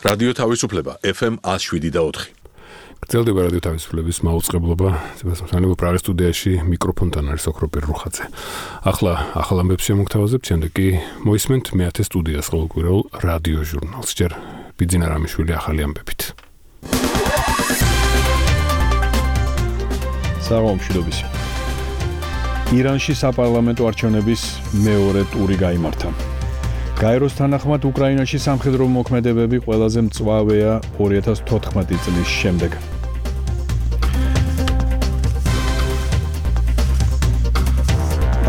რადიო თავისუფლება FM 107.4. გრძელდება რადიო თავისუფლების მაუწყებლობა. სანამ პრაღის სტუდიაში მიკროფონთან არის ოქროპირ რუხაძე. ახლა ახალ ამბებს შემოგთავაზებთ, შემდეგ კი მოისმენთ მე-10 სტუდიას ყოველკვირეულ რადიო ჟურნალს. ჯერ ბიძინა რამიშვილი ახალი ამბებით. საღამომშვიდობის. ირანში საპარლამენტო არჩევნების მეორე ტური გაიმართა. გაეროს თანახმად უკრაინაში სამხედრო მოქმედებები ყველაზე მწვავეა 2014 წლის შემდეგ.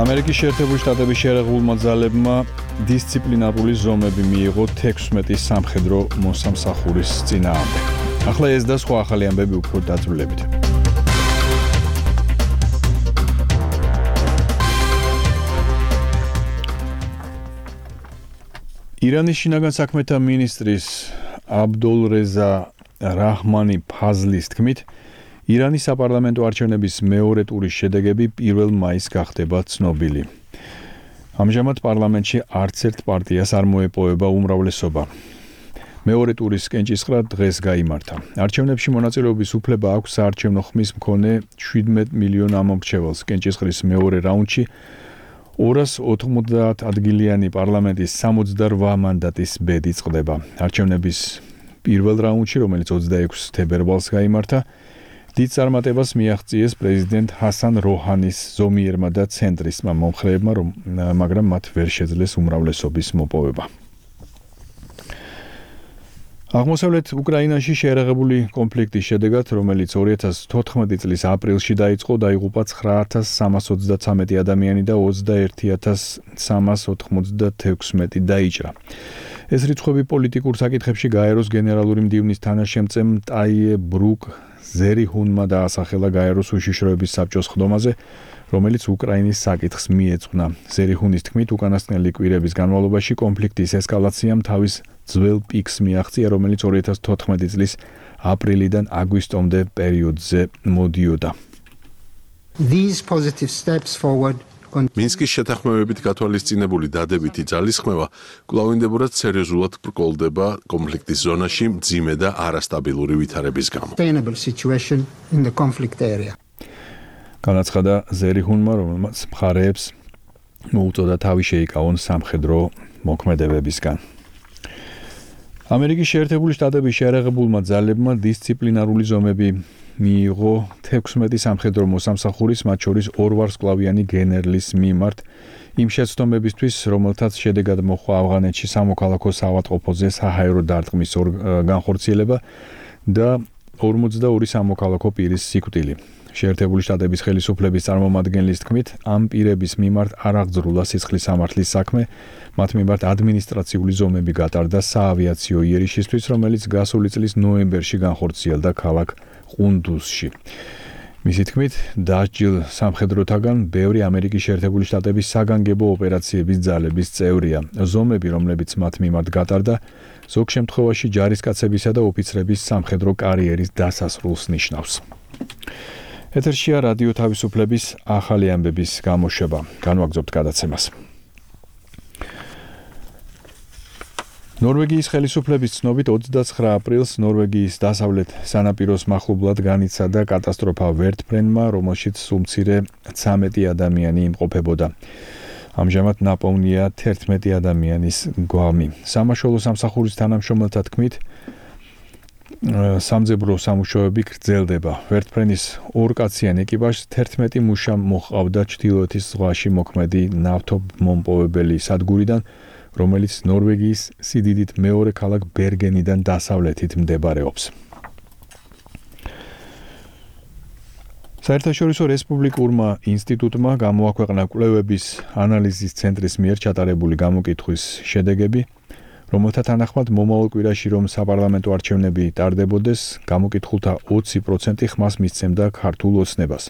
ამერიკის შეერთებული შტატების შერეღებულმა ძალებმა დისციპლინარული ზომები მიიღო 16 სამხედრო მოსამსახურის წინააღმდეგ. ახლა ეს და სხვა ახალი ამბები უფრო დაწვრილებით. ირანის შინაგან საქმეთა მინისტრის აბდულრეზა რაჰმანი ფაზლის თქმით, ირანის საპარლამენტო არჩევნების მეორე ტურის შედეგები 1 მაისს გახდება ცნობილი. ამჟამად პარლამენტში არც ერთ პარტიას არ მოეპოვება უმრავლესობა. მეორე ტურის კენჭისყრა დღეს გაიმართა. არჩევნებში მონაწილეობის უფლება აქვს საარჩევნო ხმის მქონე 17 მილიონ ამომრჩეველს. კენჭისყრის მეორე რაუნდში 290 ადგილიანი პარლამენტის 68 მანდატის ბედი წყდება. არჩევნების პირველ რაუნდში, რომელიც 26 თებერვალს გაიმართა, დიდ წარმატებას მიაღწიეს პრეზიდენტ ჰასან როჰანის ზომიერმა და ცენტრისტმა მომხრეებმა, მაგრამ მათ ვერ შეძლეს უმრავლესობის მოპოვება. აღმოსავლეთ უკრაინაში შეერაღებული კონფლიქტის შედეგად, რომელიც 2014 წლის აპრილში დაიწყო, დაიღუპა 9333 ადამიანი და 21396 დაიჭრა. ეს რიცხვები პოლიტიკურ საკითხებში გაეროს გენერალური მდივნის თანაშემწემ ტაიე ბრუკ ზერihunმა დაასახელა გაეროს უშიშროების საბჭოს ხდომაზე, რომელიც უკრაინის საკითხს მიეძღვნა. ზერihun's თქმით, უკანასკნელი კვირების განმავლობაში კონფლიქტის ესკალაციამ თავის ძველ პიკს მიაღწია, რომელიც 2014 წლის აპრილიდან აგვისტომდე პერიოდზე მოდიოდა. These positive steps forward მინსკის შეთანხმებებით გათვალისწინებული დადებითი ძალისხმევა კვლავინდებურად სერიოზულად ბრკოლდება კონფლიქტის ზონაში მძიმე და არასტაბილური ვითარების გამო. Sustainable situation in the conflict area. განაცხადა ზერihunმა, რომელმაც მხარეებს მოუწოდა თავი შეიკავონ სამხედრო მოქმედებებისგან. ამერიკის შეერთებული შტატების შეერაღებულმა ძალებმა დისციპლინარული ზომები მიიღო 16 სამხედრო მოსამსახურის, მათ შორის 2 ვარსკვლავიანი გენერლის მიმართ იმ შეცდომებისთვის, რომელთაც შედეგად მოჰყვა ავღანეთში სამოქალაქო საავადმყოფოზე საჰაერო დარტყმის განხორციელება და 42 სამოქალაქო პირის სიკვდილი. შეერთებული შტატების ხელისუფლების წარმომადგენლის თქმით, ამ პირების მიმართ არ აღძრულა სისხლის სამართლის საქმე, მათ მიმართ ადმინისტრაციული ზომები გატარდა საავიაციო იერიშისთვის, რომელიც გასული წლის ნოემბერში განხორციელდა ქალაქ ყუნდუზში. მისი თქმით, დასჯილ სამხედროთაგან ბევრი ამერიკის შეერთებული შტატების საგანგებო ოპერაციების ძალების წევრია. ზომები, რომლებიც მათ მიმართ გატარდა, ზოგ შემთხვევაში ჯარისკაცებისა და ოფიცრების სამხედრო კარიერის დასასრულს ნიშნავს. ეთერშია რადიო თავისუფლების ახალი ამბების გამოშვება. განვაგრძობთ გადაცემას. ნორვეგიის ხელისუფლების ცნობით 29 აპრილს ნორვეგიის დასავლეთ სანაპიროს მახლობლად განიცადა კატასტროფა ვერტფრენმა, რომელშიც სულ მცირე 13 ადამიანი იმყოფებოდა. ამჟამად ნაპოვნია 11 ადამიანის გვამი. სამაშველო სამსახურის თანამშრომელთა თქმით, სამძებრო სამუშაოები გრძელდება. ვერტფრენის ორკაციან ეკიპაჟს 11 მუშა მოჰყავდა ჩრდილოეთის ზღვაში მოქმედი ნავთობმომპოვებელი სადგურიდან, რომელიც ნორვეგიის სიდიდით მეორე ქალაქ ბერგენიდან დასავლეთით მდებარეობს. საერთაშორისო რესპუბლიკურმა ინსტიტუტმა გამოაქვეყნა კვლევების ანალიზის ცენტრის მიერ ჩატარებული გამოკითხვის შედეგები, რომელთა თანახმად მომავალ კვირაში რომ საპარლამენტო არჩევნები ტარდებოდეს, გამოკითხულთა 20% ხმას მისცემდა ქართულ ოცნებას.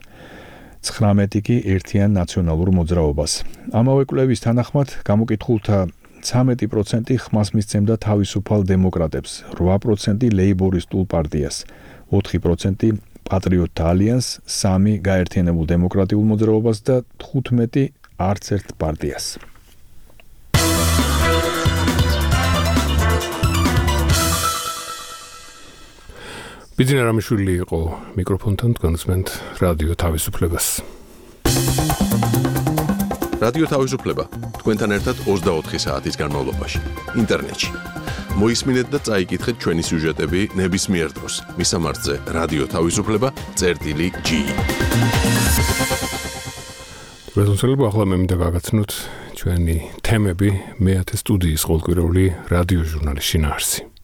19 კი ერთიან ნაციონალურ მოძრაობას. ამავე კვლევის თანახმად გამოკითხულთა 13% ხმას მისცემდა თავისუფალ დემოკრატებს, 8% ლეიბორისტულ პარტიას, 4% პატრიოტთა ალიანსს, 3 გაერთიანებულ დემოკრატიულ მოძრაობას და 15 არც ერთ პარტიას. ბიძინა რამიშვილი იყო მიკროფონთან, თქვენსმენთ რადიო თავისუფლებას. რადიო თავისუფლება თქვენთან ერთად 24 საათის განმავლობაში ინტერნეტში. მოისმინეთ და წაიკითხეთ ჩვენი სიუჟეტები ნებისმიერ დროს. მისამართზე რადიო თავისუფლება.g. რეზონსელები ახლა მე მინდა გაგაცნოთ ჩვენი თემები მეათე სტუდიის ყოველკვირეული რადიო ჟურნალის შინაარსი.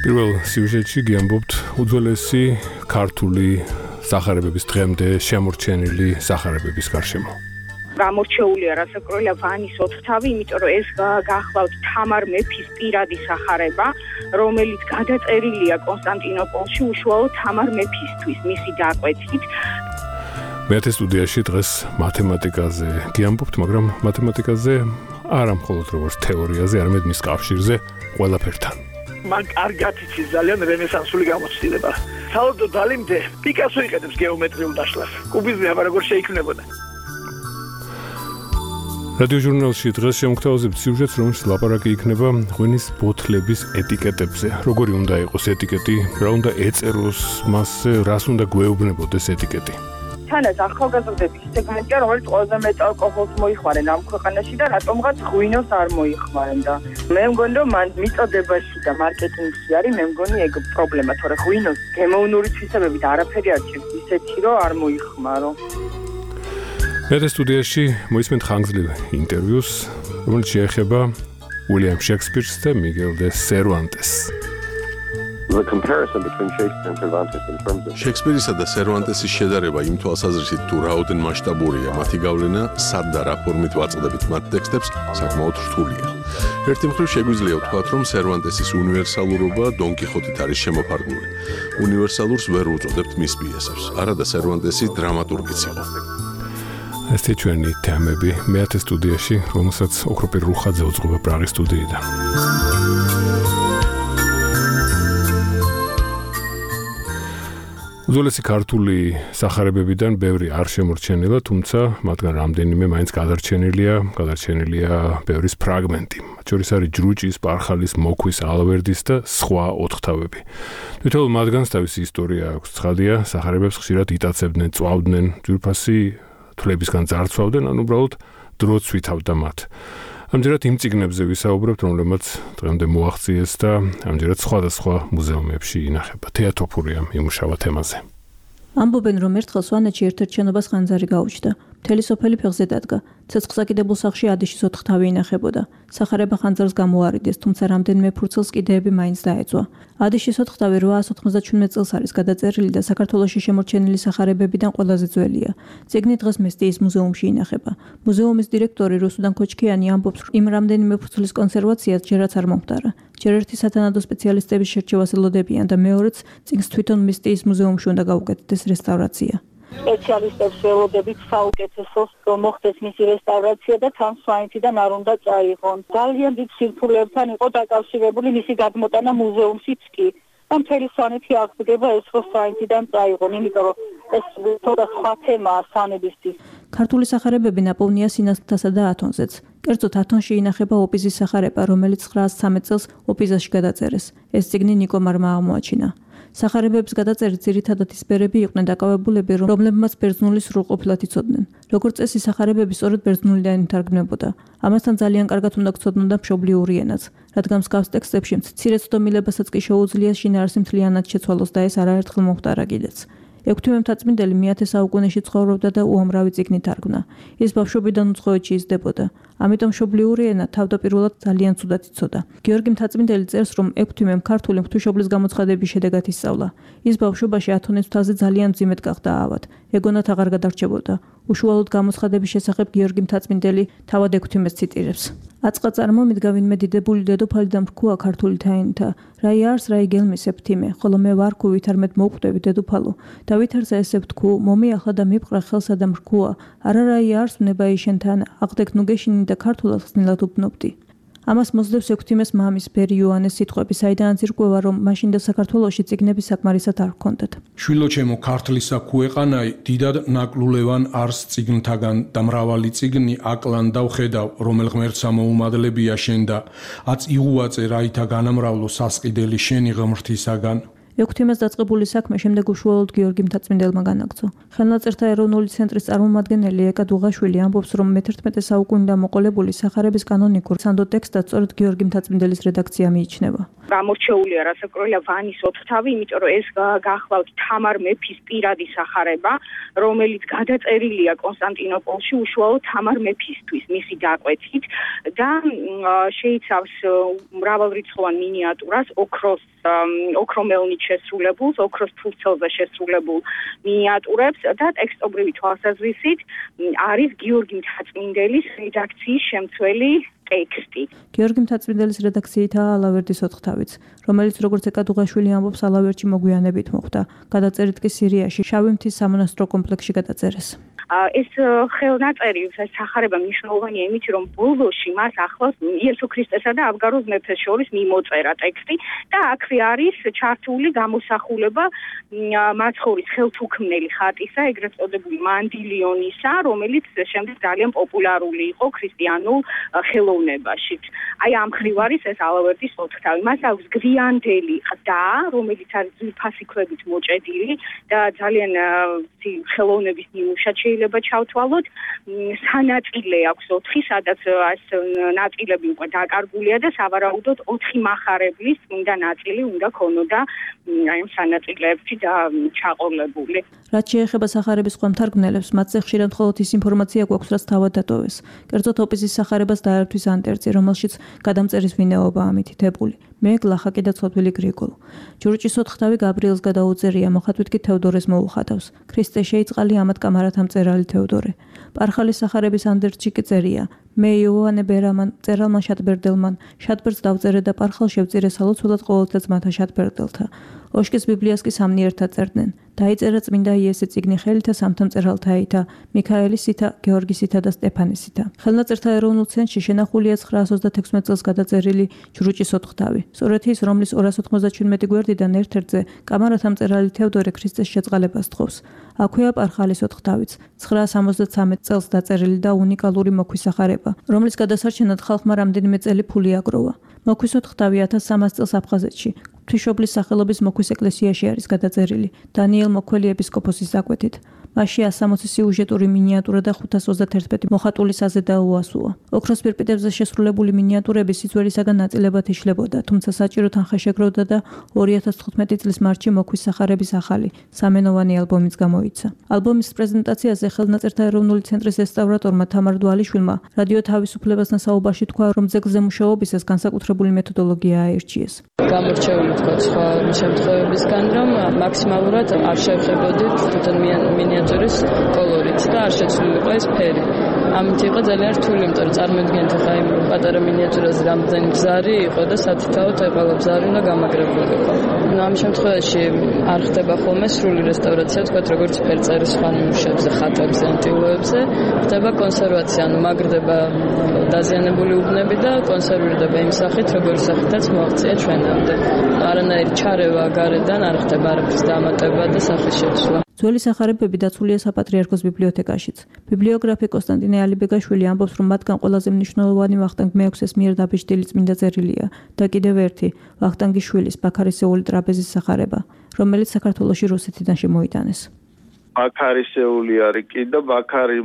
პირველ სიუჟეტში გიამბობთ უძველესი ქართული სახარებების დღემდე შემორჩენილი სახარებების გარშემო. გამორჩეულია რასაკვირველია ვანის ოთხთავი, იმიტომ რომ ეს გახლავთ თამარ მეფის პირადი სახარება, რომელიც გადაწერილია კონსტანტინოპოლში უშუალოდ თამარ მეფისთვის, მისი დაკვეთით. მეათე სტუდიაში დღეს მათემატიკაზე გიამბობთ, მაგრამ მათემატიკაზე არა მხოლოდ როგორც თეორიაზე, არამედ მის კავშირზე ყველაფერთან. მან კარგად იცის ძალიან რენესანსული გამოცდილება. საერთოდ დალიმდე პიკასო იყენებს გეომეტრიულ დაშლას. კუბიზმი აბა როგორ შეიქმნებოდა. რადიო ჟურნალში დღეს შემოგთავაზებთ სიუჟეტს, რომელშიც ლაპარაკი იქნება ღვინის ბოთლების ეტიკეტებზე. როგორი უნდა იყოს ეტიკეტი, რა უნდა ეწეროს მასზე, რას უნდა გვეუბნებოდეს ეტიკეტი. თანაც ახალგაზრდების სეგმენტია, რომელიც ყველაზე მეტ ალკოჰოლს მოიხმარენ ამ ქვეყანაში და რატომღაც ღვინოს არ მოიხმარენ და მე მგონი რომ მან მიწოდებაში და მარკეტინგში არის, მე მგონი ეგ პრობლემა, თორე ღვინოს გემოვნური თვისებებით არაფერი არ ჭირს ისეთი რომ არ მოიხმარო. მეათე სტუდიაში მოისმენთ ხანგრძლივ ინტერვიუს, რომელიც შეეხება უილიამ შექსპირს და მიგელ დე სერვანტესს. The comparison between Shakespeare and Cervantes in terms of შექსპირისა და სერვანტესის შედარება იმ თვალსაზრისით თუ რაოდენ მასშტაბურია მათი გავლენა, სად და რა ფორმით ვაწყდებით მათ ტექსტებს, საკმაოდ რთულია. ერთი მხრივ შეგვიძლია ვთქვათ, რომ სერვანტესის უნივერსალურობა დონ კიხოტით არის შემოფარგლული. უნივერსალურს ვერ უწოდებთ მის პიესებს, არადა სერვანტესი დრამატურგიც იყო. ესეთი ჩვენი თემები მეათე სტუდიაში, რომელსაც ოქროპირ რუხაძე უძღვება პრაღის სტუდიიდან. უძველესი ქართული სახარებებიდან ბევრი არ შემორჩენილა, თუმცა მათგან რამდენიმე მაინც გადარჩენილია ბევრის ფრაგმენტი. მათ შორის არის ჯრუჭის, პარხალის, მოქვის, ალვერდის და სხვა ოთხთავები. თითოეულ მათგანს თავისი ისტორია აქვს. ცხადია, სახარებებს ხშირად იტაცებდნენ, წვავდნენ, ძვირფასი თვლებისგან ძარცვავდნენ, ან უბრალოდ დროც ვითავდა მათ. ამჯერად იმ წიგნებზე ვისაუბრებთ, რომლებმაც დღემდე მოაღწიეს და ამჯერად სხვადასხვა მუზეუმებში ინახება. თეატოფურია იმუშავა თემაზე. ამბობენ, რომ ერთხელ სვანეთში ერთ-ერთ შენობას ხანძარი გაუჩნდა. მთელი სოფელი ფეხზე დადგა. ცეცხლსაკიდებულ სახლში ადიშის ოთხთავი ინახებოდა. სახარება ხანძარს გამოარიდეს, თუმცა რამდენიმე ფურცელს კიდეები მაინც დაეწვა. ადიშის ოთხთავი 897 წელს არის გადაწერილი და საქართველოში შემორჩენილი სახარებებიდან ყველაზე ძველია. წიგნი დღეს მესტიის მუზეუმში ინახება. მუზეუმის დირექტორი რუსუდან ქოჩქიანი ამბობს, რომ იმ რამდენიმე ფურცლის კონსერვაციას ჯერაც არ მომხდარა. ჯერ ერთი სათანადო სპეციალისტების შერჩევას ელოდებიან და მეორეც წიგნს თვითონ მესტიის მუზეუმში უნდა გაუკეთდეს რესტავრაცია. სპეციალისტებს ველოდებით საუკეთესოს მოხდეს მისი რესტავრაცია და თან სვანეთიდან არ უნდა წაიღონ. ძალიან დიდ სირთულეებთან იყო დაკავშირებული მისი გადმოტანა მუზეუმშიც კი. და მთელი სვანეთი აღდგება ეს რომ სვანეთიდან წაიღონ, იმიტომ რომ ეს თორე სხვა თემაა სვანებისთვის. ქართული სახარებები ნაპოვნია სინათლთასა და ათონზეც. კერძოდ ათონში ინახება ოპიზის სახარება, რომელიც 913 წელს ოპიზაში გადაწერეს. ეს წიგნი ნიკომარმა აღმოაჩინა. სახარებების გადაწერით ძირითადად ის ბერები იყვნენ დაკავებულები, რომლებმაც ბერძნული სრულყოფილად იცოდნენ. როგორც წესი, სახარებები სწორედ ბერძნულიდან ითარგმნებოდა. ამასთან ძალიან კარგად უნდა გცოდნოდა მშობლიური ენაც, რადგან მსგავს ტექსტებში მცირე ცდომილებასაც კი შეუძლია შინაარსი მთლიანად შეცვალოს და ეს არაერთხელ მოხდარა კიდეც. ექვთიმე მთაწმინდელი მეათე საუკუნეში ცხოვრობდა და უამრავი წიგნი თარგმნა. ის ბავშვობიდან უცხოეთში იზრდებოდა. ამიტომ მშობლიური ენა თავდაპირველად ძალიან ცუდად იცოდა. გიორგი მთაწმინდელი წერს, რომ ექვთიმემ ქართული ღვთისმშობლის გამოცხადების შედეგად ისწავლა. ის ბავშვობაში ათონის მთაზე ძალიან მძიმედ გახდა ავად. ეგონათ აღარ გადარჩებოდა. უშუალოდ გამოცხადების შესახებ გიორგი მთაწმინდელი თავად ექვთიმეს ციტირებს. აწყა წარმომიდგა ვინმე დიდებული დედოფალი და მრქუა ქართული თაინთა. რაი არს, რაი გელმის ეფთიმე, ხოლო მე ვარქუ ვითარმეთ მოუყვდები დედოფალო. და ვითარცა ესე ვთქუ, მომიახლა და მიფყრა ხელსა და მრქუა. არა რაი არს ვნება იშენთან, აღდეკ ნუ გეშინი და ქართულად ხსნილად უბნობდი. ამას მოსდევს ექვთიმეს მამის ბერი იოანეს სიტყვები, საიდანაც ირკვევა, რომ მაშინდელ საქართველოში წიგნები საკმარისად არ ჰქონდათ. შვილო ჩემო, ქართლისა ქუეყანაი, დიდად ნაკლულევან არს წიგნთაგან და მრავალი წიგნი აკლან და ვხედავ, რომელ ღმერთსა მოუმადლებია შენ და აც იღუაწე რაითა განამრავლო სასყიდელი შენი ღმრთისაგან. ექვთიმეს დაწყებული საქმე შემდეგ უშუალოდ გიორგი მთაწმინდელმა განაგრძო. ხელნაწერთა ეროვნული ცენტრის წარმომადგენელი ეკა დუღაშვილი ამბობს, რომ მე-11 საუკუნიდან მოყოლებული სახარების კანონიკურ სანდო ტექსტად სწორედ გიორგი მთაწმინდელის რედაქცია მიიჩნევა. გამორჩეულია რასაკვირველია ვანის ოთხთავი, იმიტომ რომ ეს გახლავთ თამარ მეფის პირადი სახარება, რომელიც გადაწერილია კონსტანტინოპოლში უშუალოდ თამარ მეფისთვის, მისი დაკვეთით და შეიცავს მრავალრიცხოვან მინიატურას, ოქრომელნით შესრულებულს, ოქროს ფურცელზე შესრულებულ მინიატურებს და ტექსტობრივი თვალსაზრისით არის გიორგი მთაწმინდელის რედაქციის შემცველი ტექსტი. გიორგი მთაწმინდელის რედაქციითაა ალავერდის ოთხთავიც, რომელიც როგორც ეკა დუღაშვილი ამბობს, ალავერდში მოგვიანებით მოხვდა. გადაწერით კი სირიაში, შავი მთის სამონასტრო კომპლექსში გადაწერეს. ეს ხელნაწერი სახარება მნიშვნელოვანია იმით, რომ ბოლოში მას ახლავს იესო ქრისტესა და აბგაროს მეფეს შორის მიმოწერა ტექსტი და აქვე არის ჩართული გამოსახულება მაცხოვრის ხელთუქმნელი ხატისა, ეგრეთ წოდებული მანდილიონისა, რომელიც შემდეგ ძალიან პოპულარული იყო ქრისტიანულ ხელოვნებაში. აი ამ ხრივ არის ეს ალავერდის ოთხთავი. მას აქვს გვიანდელი ყდა, რომელიც არის ძვირფასი ქვებით მოჭედილი და ძალიან ხელოვნების ნიმუშად შეიძლება ჩავთვალოთ. სანაწილე აქვს 4, სადაც ეს ნაწილები უკვე დაკარგულია და სავარაუდოდ 4 მახარებლის წმინდა ნაწილი უნდა ქონოდა აი ამ სანაწილეებში და ჩაყოლებული. რაც შეეხება სახარების სხვა მთარგმნელებს, მათზე ხშირად მხოლოდ ის ინფორმაცია გვაქვს, რაც თავად დატოვეს. კერძოდ ოპიზის სახარებას დაერთვის ანტერწი, რომელშიც გადამწერის ვინაობაა მითითებული. მე გლახაკი და ცოდვილი გრიგოლ. ჯურჭის ოთხთავი გაბრიელს გადაუწერია, მოხატვით კი თევდორეს მოუხატავს. ქრისტე შეიწყალი ამათ კამარათა მწერალი თევდორე. პარხალის სახარების ანდერტში კი წერია: მე იოანე ბერამან, წერალმა შატბერდელმან, შატბერდს დავწერე და პარხალ შევწირე სალოცველად ყოველთა ძმათა შატბერდელთა. ოშკის ბიბლიას კი სამნი ერთად წერდნენ. დაიწერა წმინდა იესე წიგნი ხელითა სამთა მწერალთაითა, მიქაელისითა, გეორგისითა და სტეფანისითა. ხელნაწერთა ეროვნულ ცენტრში შენახულია 926 წელს გადაწერილი ჯრუჭის ოთხთავი. სწორედ ის, რომლის 297 გვერდიდან ერთ-ერთზე კამარათა მწერალი თევდორე ქრისტეს შეწყალებას თხოვს. აქვეა პარხალის ოთხთავიც, 973 წელს დაწერილი და უნიკალური მოქვის სახარება, რომლის გადასარჩენად ხალხმა რამდენიმე წელი ფული აგროვა. მოქვის ოთხთავი 1300 წელს აფხაზეთში ღვთისმშობლის სახელობის მოქვის ეკლესიაში არის გადაწერილი დანიელ მოქველი ეპისკოპოსის დაკვეთით. მასში 160 სიუჟეტური მინიატურა და 531 მოხატული საზედაო უასუა. ოქროს პირპიტებზე შესრულებული მინიატურები სიძველისაგან ნაწილებად იშლებოდა, თუმცა საჭირო თანხა შეგროვდა და 2015 წლის მარტში მოქვის სახარების ახალი, სამენოვანი ალბომიც გამოიცა. ალბომის პრეზენტაციაზე ხელნაწერთა ეროვნული ცენტრის რესტავრატორმა თამარ დვალიშვილმა რადიო თავისუფლებასთან საუბარში თქვა, რომ ძეგლზე მუშაობისას განსაკუთრებული მეთოდოლოგია აირჩიეს. გამორჩეული თქვა სხვა შემთხვევებისგან, რომ მაქსიმალურად არ შევხებოდით თვითონ მინიატურის კოლორით და არ შეცვლილიყო ეს ფერი. ამით იყო ძალიან რთული, იმიტომ რომ წარმოიდგინეთ ახლა იმ პატარა მინიატურაზე რამდენი ბზარი იყო და სათითაოდ ყველა ბზარი უნდა გამაგრებულიყო. ამ შემთხვევაში არ ხდება ხოლმე სრული რესტავრაცია, თქვა როგორც ფერწერის სხვა ნიმუშებზე, ხატებზე, ანტილოებზე, ხდება კონსერვაცია, ანუ მაგრდება დაზიანებული უბნები და კონსერვირდება იმ სახით, როგორი სახითაც მოაღწია ჩვენამდე. არანაირი ჩარევა გარედან არ ხდება არაფრის დამატება და სახის შეცვლა. ძველი სახარებები დაცულია საპატრიარქოს ბიბლიოთეკაშიც. ბიბლიოგრაფი კონსტანტინე ალიბეგაშვილი ამბობს, რომ მათგან ყველაზე მნიშვნელოვანი ვახტანგ მე-6-ის მიერ დაბეჭდილი წმინდა წერილია და კიდევ ერთი ვახტანგის შვილის ბაქარისეული ტრაპეზის სახარება, რომელიც საქართველოში რუსეთიდან შემოიტანეს. ბაქარისეული არის კი და ბაქარი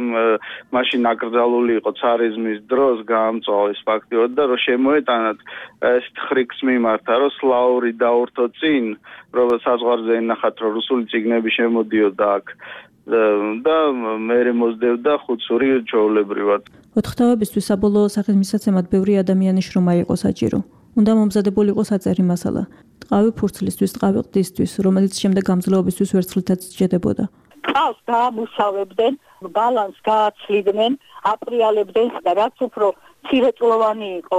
მაშინ აკრძალული იყო ცარიზმის დროს, გაამწვა ეს ფაქტიურად და რომ შემოეტანათ ეს ხრიქს მიმართა, რომ სლაური დაურთო წინ, რომ საზღვარზე ენახათ, რომ რუსული წიგნები შემოდიოდა აქ და მერე მოსდევდა ხუცური ჩვეულებრივად. ოთხთავებისთვის საბოლოო სახის მისაცემად ბევრი ადამიანის შრომა იყო საჭირო. უნდა მომზადებული იყო საწერი მასალა. ტყავი ფურცლისთვის, ტყავი ყდისთვის, რომელიც შემდეგ გამძლეობისთვის ვერცხლითაც სჭედებოდა. ყავს დაამუშავებდნენ, ბალანს გააცლიდნენ, აპრიალებდნენ და რაც უფრო მცირეწლოვანი იყო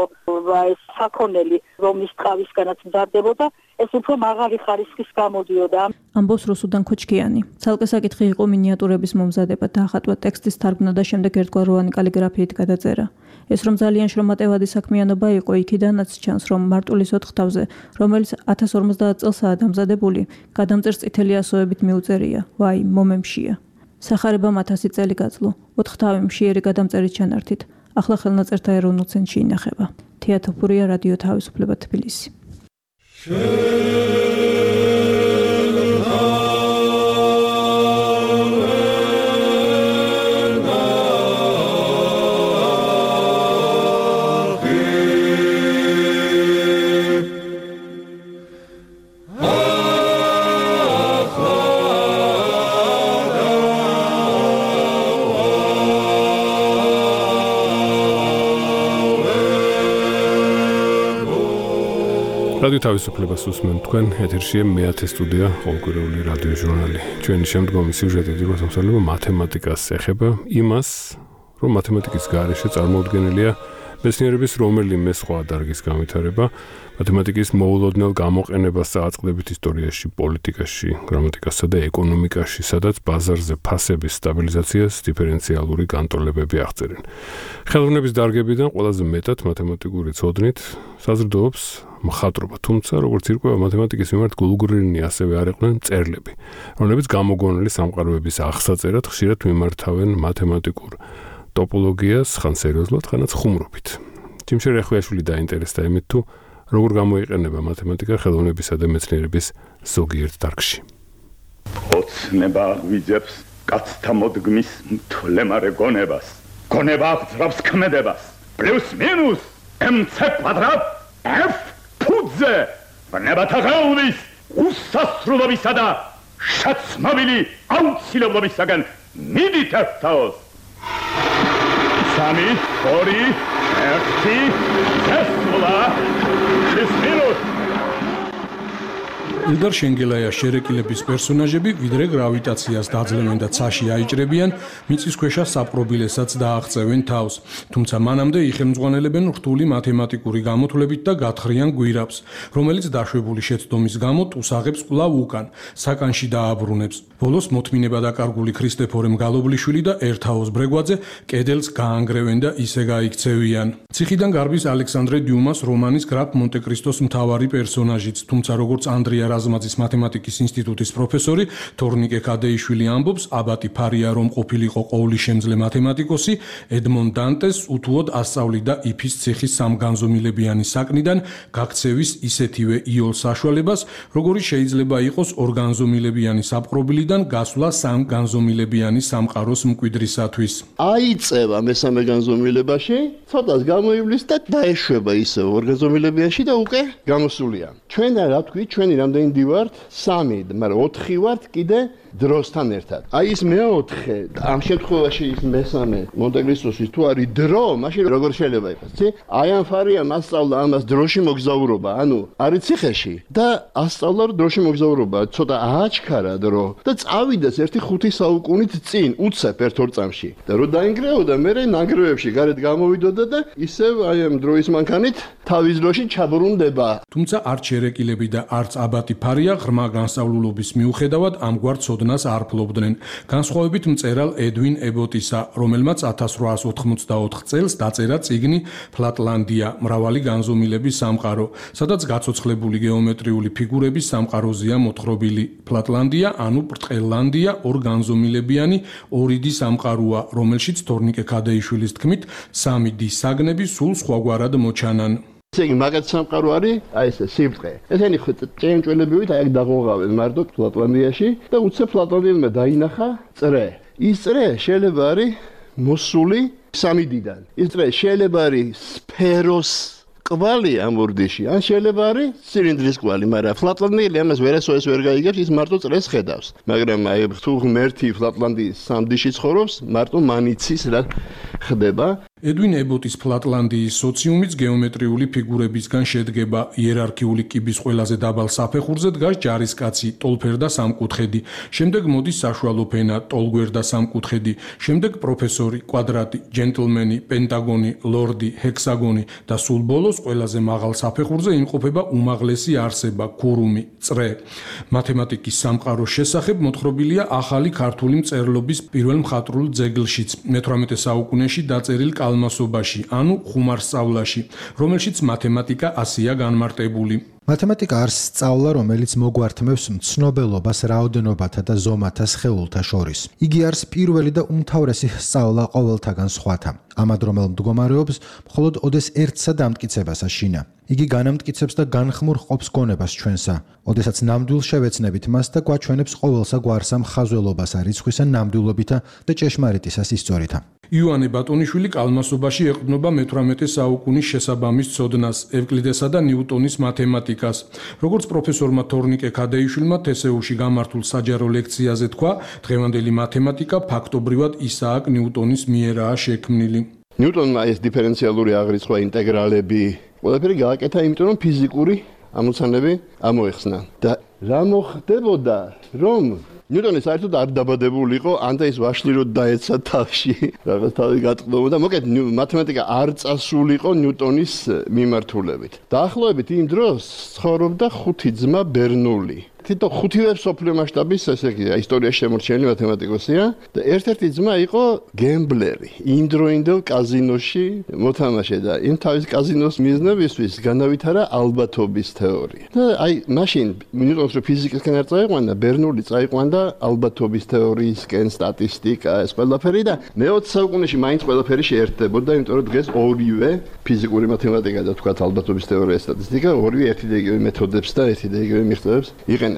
ეს საქონელი, რომლის ტყავისგანაც მზადდებოდა, ეს უფრო მაღალი ხარისხის გამოდიოდა. ამბობს რუსუდან ქოჩქიანი. ცალკე საკითხი იყო მინიატურების მომზადება, დაახატვა ტექსტის თარგმნა და შემდეგ ერთგვაროვანი კალიგრაფიით გადაწერა. ეს რომ ძალიან შრომატევადი საქმიანობა იყო, იქიდანაც ჩანს, რომ მარტულის 4 თავზე, რომელიც 1050 წელსაა დამზადებული, გადამწერს წითელი ასოებით მიუწერია. ვაი, მომემშია. სახარებამ 1000 წელი გაძლო, 4 თავი მშიერი გადამწერით ჩანართით. ახლა ხელნაწერთა ეროვნულ ცენტრში ინახება. თეატოფურია, რადიო თავისუფლება, თბილისი. რადიო თავისუფლებას უსმენთ თქვენ, ეთერშია მე-10 სტუდია, ყოველკვირეული რადიო ჟურნალი. ჩვენი შემდგომი სიუჟეტი რუსთავსალება მათემატიკას ეხება იმას, რომ მათემატიკის გარეშე წარმოუდგენელია მეცნიერების რომელიმე სხვა დარგის განვითარება, მათემატიკის მოულოდნელ გამოყენებას წააწყდებით ისტორიაში, პოლიტიკაში, გრამატიკასა და ეკონომიკაში, სადაც ბაზარზე ფასების სტაბილიზაციას დიფერენციალური განტოლებები აღწერენ. ხელოვნების დარგებიდან ყველაზე მეტად მათემატიკური ცოდნით საზრდოობს მხატვრობა, თუმცა როგორც ირკვევა მათემატიკის მიმართ გულგრილი ასევე არ იყვნენ წერლები, რომლებიც გამოგონილი სამყაროების აღსაწერად ხშირად მიმართავენ მათემატიკურ ტოპოლოგიას, ხან სერიოზულად, ხანაც ხუმრობით. ჯიმშერ ეხვიაშვილი დაინტერესდა იმით, თუ როგორ გამოიყენება მათემატიკა ხელოვნებისა და მეცნიერების ზოგიერთ დარგში. ოცნება ვიძებს კაცთა მოდგმის მთლემარე გონებას. გონება აღძრავს ქმედებას. პლუს მინუს mc კვადრატ f ფუძე. ვნებათა ხელვის უსასრულობისა და შაცმავილი აუცილებლობისაგან მიდით ერთაოს. 3, 2, 1, წესვლა, შესმინუს. ილდარ შენგელაია შერეკილების პერსონაჟები ვიდრე გრავიტაციას დაძლევენ და ცაში აიჭრებიან, მიწისქვეშა საპყრობილესაც დააღწევენ თავს. თუმცა მანამდე იხელმძღვანელებენ რთული მათემატიკური გამოთვლებით და გათხრიან გვირაბს, რომელიც დაშვებული შეცდომის გამო ტუსაღებს კვლავ უკან, საკანში დააბრუნებს. ბოლოს მოთმინება დაკარგული ქრისტეფორემ გალობლიშვილი და ერთაოს ბრეგვაძე კედელს გაანგრევენ და ისე გაიქცევიან. ციხიდან გარბის ალექსანდრე დიუმას რომანის გრაფ მონტე-კრისტოს მთავარი პერსონაჟიც, თუმცა როგორც ანდრია რაზმაძის მათემატიკის ინსტიტუტის პროფესორი თორნიკე ქადეიშვილი ამბობს, აბატი ფარია რომ ყოფილიყო ყოვლისშემძლე მათემატიკოსი, ედმონ დანტეს უთუოდ ასწავლიდა იფის ციხის სამგანზომილებიანი საკნიდან გაქცევის ისეთივე იოლ საშუალებას, როგორიც შეიძლება იყოს ორგანზომილებიანი საპყრობილიდან გასვლა სამგანზომილებიანი სამყაროს მკვიდრისათვის. აიწევა მესამე განზომილებაში, ცოტას გამოივლის და დაეშვება ისე ორგანზომილებიაში და უკვე გამოსულია. ჩვენ რა ვთქვით, ჩვენი რამდენი დივართ? 3, მაგრამ 4 ვართ კიდე დროსთან ერთად. აი ის მეოთხე, ამ შემთხვევაში ის მესამე მონტე-კრისტოსის თუ არის დრო, მაშინ როგორ შეიძლება იყოს, ცი? აი ამ ფარიამ ასწავლა ამას დროში მოგზაურობა, ანუ არის ციხეში და ასწავლა დროში მოგზაურობა, ცოტა ააჩქარა დრო და წავიდეს 1-5 საუკუნით წინ, უცებ 1-2 წამში. და რო დაინგრეოდა, მე ნანგრევებში გარეთ გამოვიდოდა და ისევ აი ამ დროის მანქანით თავის დროში ჩაბრუნდება. თუმცა არც შერეკილები და არც აბატი ფარია ღრმა განსწავლულობის მიუხედავად ამგვარ ცოდნას არ ფლობდნენ. განსხვავებით მწერალ ედვინ ებოტისა, რომელმაც 1884 წელს დაწერა წიგნი ფლატლანდია, მრავალი განზომილების სამყარო, სადაც გაცოცხლებული გეომეტრიული ფიგურების სამყაროზეა მოთხრობილი. ფლატლანდია, ანუ ბრტყელლანდია, ორ განზომილებიანი ორიდი სამყაროა, რომელშიც თორნიკე ქადეიშვილის თქმით, 3 დის საგნები სულ სხვაგვარად მოჩანან. ესე იგი, მაგათ სამყარო არის, აი ესე სიბრტყე. ესენი ჭიანჭველებივით აი აქ დაღოღავენ მარტო ფლატლანდიაში და უცებ ფლატლანდიელმა დაინახა წრე. ის წრე შეიძლება არის მოსული 3 დიდან. ის წრე შეიძლება არის სფეროს კვალი ამ ურდიში, ან შეიძლება არის ცილინდრის კვალი, მაგრამ ფლატლანდიელი ამას ვერასოდეს ვერ გაიგებს, ის მარტო წრეს ხედავს. მაგრამ აი თუ ღმერთი ფლატლანდიის სამდიში ცხოვრობს, მარტო მანიცის რა ხდება. ედვინ ებოტის ფლატლანდიის სოციუმიც გეომეტრიული ფიგურებისგან შედგება. იერარქიული კიბის ყველაზე დაბალ საფეხურზე დგას ჯარისკაცი, ტოლფერდა სამკუთხედი, შემდეგ მოდის საშუალო ფენა, ტოლგვერდა სამკუთხედი, შემდეგ პროფესორი, კვადრატი, ჯენტლმენი, პენტაგონი, ლორდი, ჰექსაგონი და სულ ბოლოს ყველაზე მაღალ საფეხურზე იმყოფება უმაღლესი არსება, ქურუმი, წრე. მათემატიკის სამყაროს შესახებ მოთხრობილია ახალი ქართული მწერლობის პირველ მხატვრულ ძეგლშიც. მე-18 საუკუნეში ნიუტონში დაწერილ კალმასობაში, ანუ ხუმარსწავლაში, რომელშიც მათემატიკა ასეა განმარტებული. მათემატიკა არის სწავლა, რომელიც მოგვართმევს მცნობელობას რაოდენობათა და ზომათა სხეულთა შორის. იგი არის პირველი და უმთავრესი სწავლა ყოველთაგან სხვათა. ამადრომელ მდგომარეობს მხოლოდ ოდეს ერთსა დამტკიცებას აშინა. იგი განამტკიცებს და განხმურ ყოფს გონებას ჩვენსა. ოდესაც ნამდვილ შევეცნებით მას და გვაჩვენებს ყოველსა გვარსა მხაზველობასა, რიცხვისა ნამდვილობითა და ჭეშმარიტისას ისწორითა. იოანე ბატონიშვილი კალმასობაში ეყრდნობა მე-18 საუკუნის შესაბამის ცოდნას, ევკლიდესა და ნიუტონის მათემატიკას. როგორც პროფესორმა თორნიკე ქადეიშვილმა თესეუში გამართულ საჯარო ლექციაზე თქვა, დღევანდელი მათემატიკა ფაქტობრივად ისააკ ნიუტონის მიერაა შექმნილი. ნიუტონმა ეს დიფერენციალური აღრიცხვა, ინტეგრალები, ყველაფერი გააკეთა, იმიტომ რომ ფიზიკური ამოცანები ამოეხსნა. და რა მოხდებოდა, რომ ნიუტონი საერთოდ არ დაბადებულიყო, ანდა ის ვაშლიროდ დაეცა თავში, რაღაც თავი გატყდომოდა. მოკეთ მათემატიკა არ წასულიყო ნიუტონის მიმართულებით. დაახლოებით იმ დროს ცხოვრობდა ხუთი ძმა ბერნული. თითო ხუთივე მსოფლიო მასშტაბის ესე იგი ისტორიაში შემორჩენილი მათემატიკოსია და ერთ-ერთი ძმა იყო გემბლერი, იმდროინდელ კაზინოში მოთამაშე და იმ თავის კაზინოს მიზნებისთვის განავითარა ალბათობის თეორია. და აი მაშინ ნიუტონს რო ფიზიკისკენ არ წაიყვანა, ბერნული წაიყვანდა ალბათობის თეორიისკენ, სტატისტიკა, ეს ყველაფერი და მე-20 საუკუნეში მაინც ყველაფერი შეერთდებოდა, იმიტომ რომ დღეს ორივე ფიზიკური მათემატიკა და თქვათ ალბათობის თეორია, სტატისტიკა, ორივე ერთი და იგივე მეთოდებს და ერთი და იგივე მიღწევებს იყენებს.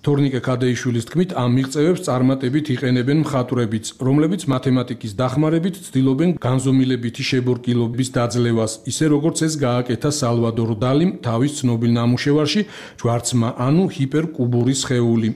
თორნიკე ქადეიშვილის თქმით, ამ მიღწევებს წარმატებით იყენებენ მხატვრებიც, რომლებიც მათემატიკის დახმარებით ცდილობენ განზომილებითი შებორკილობის დაძლევას, ისე როგორც ეს გააკეთა სალვადორ დალიმ თავის ცნობილ ნამუშევარში ჯვარცმა, ანუ ჰიპერკუბური სხეული.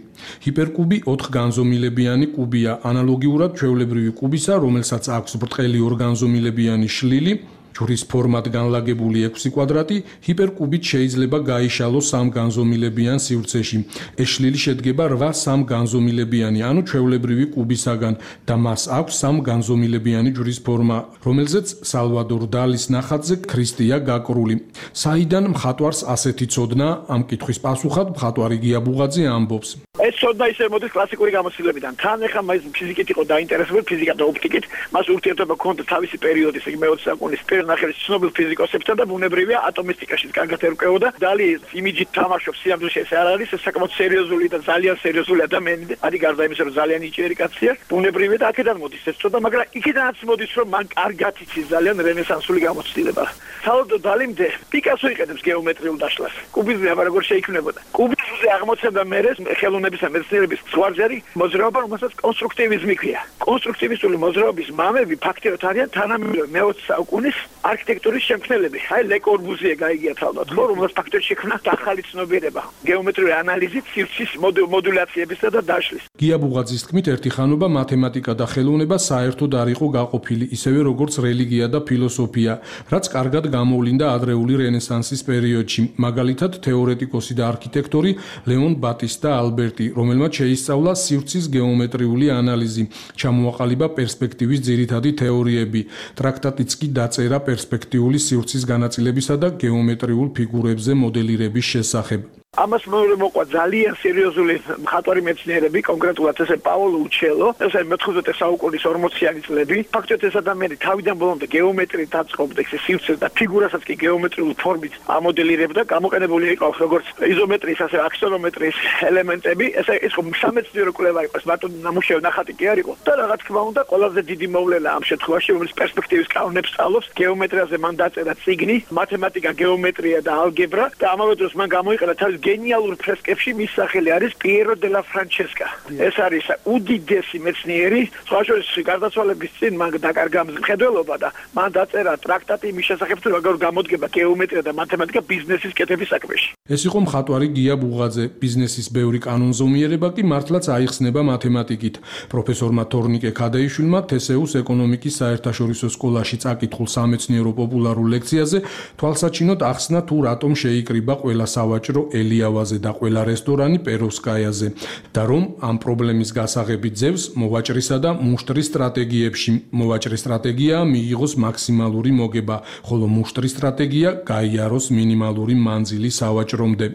ჰიპერკუბი 4 განზომილებიანი კუბია, ანალოგიურად ჩვეულებრივი კუბისა, რომელსაც აქვს ბრტყელი ორგანზომილებიანი შლილი. ჯვრის ფორმად განლაგებული 6 კვადრატი ჰიპერკუბით შეიძლება გაიშალოს 3 განზომილებიან სივრცეში. ეს შლილი შედგება 8 სამგანზომილებიანი, ანუ ჩვეულებრივი კუბისაგან და მას აქვს 3 განზომილებიანი ჯვრის ფორმა, რომელზეც სალვადორ დალის ნახატზე ქრისტეა გაკრული. საიდან მხატვარს ასეთი ცოდნა? ამ კითხვის პასუხად მხატვარი გია ბუღაძე ამბობს. ეს ცოდნა ისე მოდის კლასიკური გამოცდილებიდან. თან ახლა მას ფიზიკით იყო დაინტერესებული, ფიზიკა და ოპტიკით, მას ურთიერთობა ჰქონდა თავისი პერიოდის, იგი მე-20 საუკუნის ნახევრის ცნობილ ფიზიკოსებთან და ბუნებრივია ატომისტიკაშიც კარგად ერკვეოდა. დალი იმიჯით თამაშობს, სიამოვნებაში ეს არ არის, ეს საკმაოდ სერიოზული და ძალიან სერიოზული ადამიანი. არის გარდა იმისა, რომ ძალიან ნიჭიერი კაცია, ბუნებრივია და აქედან მოდის ეს ცოდნა, მაგრამ იქიდანაც მოდის, რომ მან კარგად იცის ძალიან რენესანსული გამოცდილება. სალვადორ დალიმდე პიკასო იყენებს გეომეტრიულ დაშლას. კუბიზმი აბა როგორ შეიქმნებოდა. კუბიზმზე აღმოცენდა მერე ხელოვნების და მეცნიერების ზღვარზე მოძრაობა, რომელსაც კონსტრუქტივიზმი ქვია. კონსტრუქტივისტული მოძრაობის მამები ფაქტიურად არიან თანამედროვე მე-20 საუკუნის არქიტექტურის შემქმნელები. აი ლე კორბუზიე გაიგია თავად, ხო, რომელსაც ფაქტობრივად შექმნა ახალი ცნობიერება გეომეტრიული ანალიზით, სივრცის მოდულაციებისა და დაშლის. გია ბუღაძის თქმით, ერთი ხანობა მათემატიკა და ხელოვნება საერთოდ არ იყო გაყოფილი, ისევე როგორც რელიგია და ფილოსოფია, რაც კარგად გამოვლინდა ადრეული რენესანსის პერიოდში. მაგალითად, თეორეტიკოსი და არქიტექტორი ლეონ ბატისტა ალბერტი, რომელმაც შეისწავლა სივრცის გეომეტრიული ანალიზი, ჩამოაყალიბა პერსპექტივის ძირითადი თეორიები, ტრაქტატიც კი დაწერა პერსპექტიული სივრცის განაწილებისა და გეომეტრიულ ფიგურებზე მოდელირების შესახებ. ამას მოყვა ძალიან სერიოზული მხატვარი მეცნიერები, კონკრეტულად ესე პაოლო უჩელო, ესე მე-19 საუკუნის 40-იანი წლები. ფაქტობრივად ეს ადამიანი თავიდან ბოლომდე გეომეტრიით აწყობდა ეს სივრცეს და ფიგურასაც კი გეომეტრიულ ფორმით ამოდელირებდა. გამოყენებული იყო როგორც იზომეტრიის, ასე აქსონომეტრიის ელემენტები. ესე ის სამეცნიერო კვლევა იყო, მარტო ნამუშევარი ნახატი კი არ იყო. და რა თქმა უნდა, ყველაზე დიდი მოვლენა ამ შემთხვევაში, რომელიც პერსპექტივის კანონებს სწავლობს, გეომეტრიაზე მან დაწერა წიგნი, მათემატიკა, გეომეტრია და ალგებრა და ამავე დროს მან გამოიყენა თავის გენიალურ ფრესკებში მის სახელი არის პიერო დე ლა ფრანჩესკა. ეს არის უდიდესი მეცნიერი, სხვა შორის გარდაცვალების წინ მან დაკარგა მხედველობა და მან დაწერა ტრაქტატი იმის შესახებ, თუ როგორ გამოდგება გეომეტრია და მათემატიკა ბიზნესის კეთების საქმეში. ეს იყო მხატვარი გია ბუღაძე. ბიზნესის ბევრი კანონზომიერება კი მართლაც აიხსნება მათემატიკით. პროფესორმა თორნიკე ქადეიშვილმა თესეუს ეკონომიკის საერთაშორისო სკოლაში წაკითხულ სამეცნიერო პოპულარულ ლექციაზე თვალსაჩინოდ ახსნა თუ რატომ შეიკრიბა ყველა სავაჭრო ელიავაზე და ყველა რესტორანი პეროვსკაიაზე და რომ ამ პრობლემის გასაღები ძევს მოვაჭრისა და მუშტრის სტრატეგიებში. მოვაჭრის სტრატეგია მიიღოს მაქსიმალური მოგება, ხოლო მუშტრის სტრატეგია გაიაროს მინიმალური მანძილი სავაჭრომდე.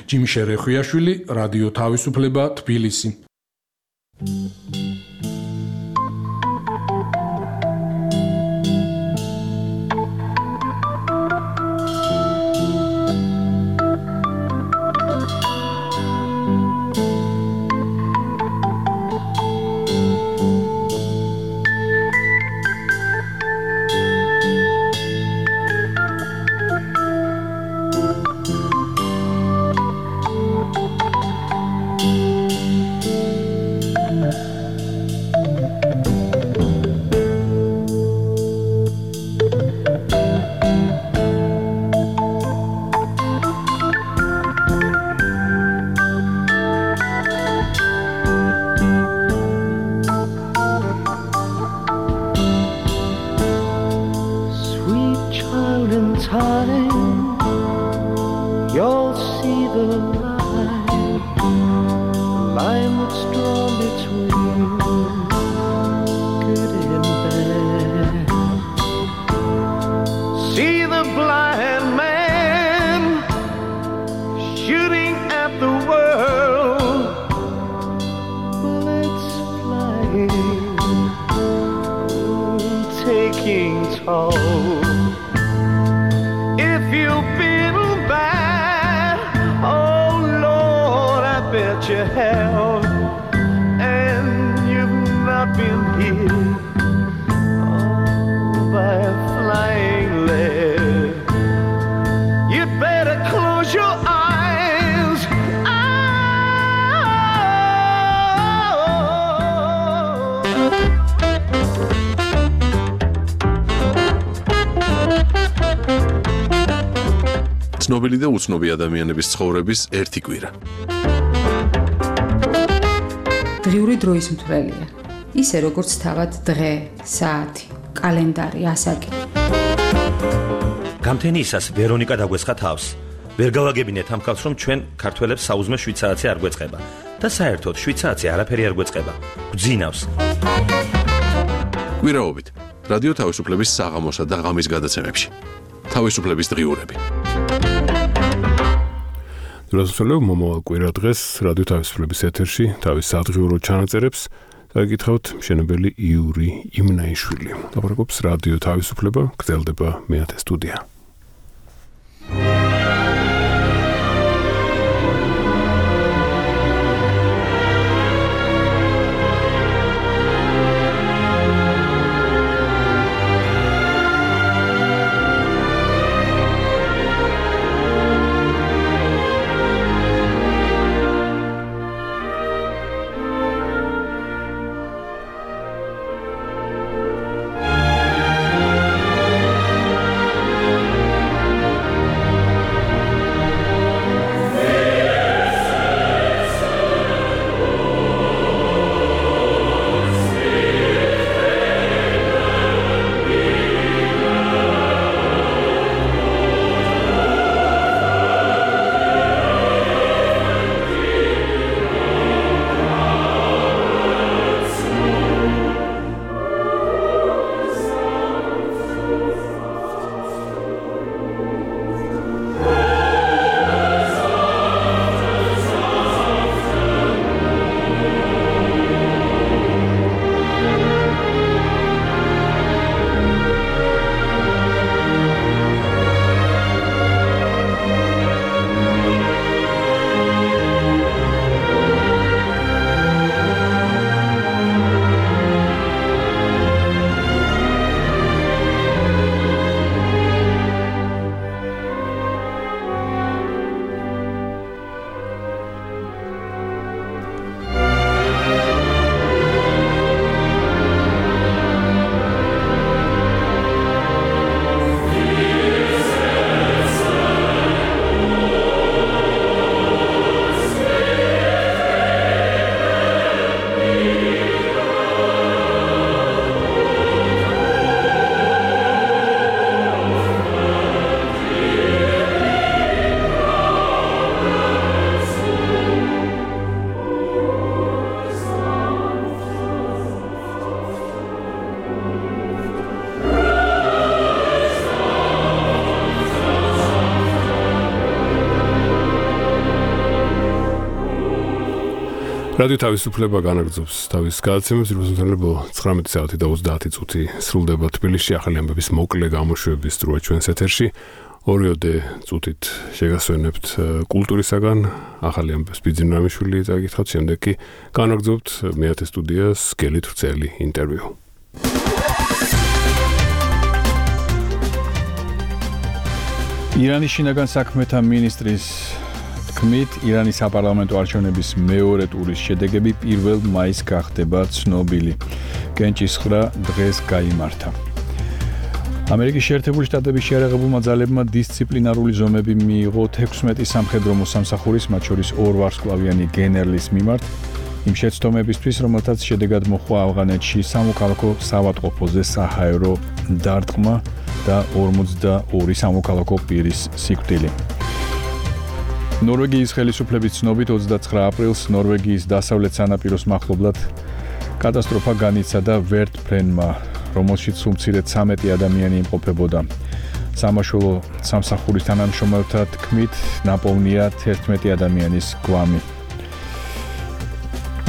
ჯიმი შერეხვიაშვილი, რადიო თავისუფლება, თბილისი. you'll see the line that's drawn between good and bad. See the blind man shooting at the world, bullets flying, taking toll. If you've been bad, oh Lord, I bet you have, and you've not been hit by a flying lead. You'd better close your eyes. ცნობილი და უცნობი ადამიანების ცხოვრების ერთი კვირა. დღიური დროის მთვრელია. ისე როგორც თავად დღე, საათი, კალენდარი, ასაკი. გამთენიისას ვერონიკა დაგვესხა თავს. ვერ გავაგებინეთ ამ ხალხს, რომ ჩვენ ქართველებს საუზმე 7 საათი არ გვეწყება და საერთოდ 7 საათი არაფერი არ გვეწყება. გვძინავს. კვირაობით რადიო თავისუფლების საღამოსა და ღამის გადაცემებში. თავისუფლების დღიურები. დროსწოლებ მომავალ კვირა დღეს რადიო თავისუფლების ეთერში თავის სადღიურო ჩანაწერებს დაგიკითხავთ მშენებელი იური იმნაიშვილი. ლაპარაკობს რადიო თავისუფლება, გრძელდება მეათე სტუდია. რადიო თავისუფლება განაგრძობს თავის გადაცემებს, რუსეთელებო 19 საათი და 30 წუთი სრულდება თბილისში ახალი ამბების მოკლე გამოშვების დროა ჩვენს ეთერში. ორიოდე წუთით შეგასვენებთ კულტურისაგან ახალი ამბების ბიძინამიშვილი წაგითხავთ, შემდეგ კი განაგრძობთ მეათე სტუდიას გელით ვრცელი ინტერვიუ. ირანის შინაგან საქმეთა მინისტრის თქმით, ირანის საპარლამენტო არჩევნების მეორე ტურის შედეგები 1 მაისს გახდება ცნობილი. კენჭისხრა დღეს გაიმართა. ამერიკის შეერთებული შტატების შეიარაღებულმა ძალებმა დისციპლინარული ზომები მიიღო 16 სამხედრო მოსამსახურის, მათ შორის 2 ვარსკვლავიანი გენერლის მიმართ, იმ შეცდომებისთვის, რომელთაც შედეგად მოჰყვა ავღანეთში სამოქალაქო საავადმყოფოზე საჰაერო დარტყმა და 42 სამოქალაქო პირის სიკვდილი. ნორვეგიის ხელისუფლების ცნობით 29 აპრილს ნორვეგიის დასავლეთ სანაპიროს მახლობლად კატასტროფა განიცადა ვერტფრენმა, რომელშიც უმცირედ 13 ადამიანი იმყოფებოდა. სამაშველო სამსახურის თანამშრომელთა თქმით, ნაპოვნია 11 ადამიანის გვამი.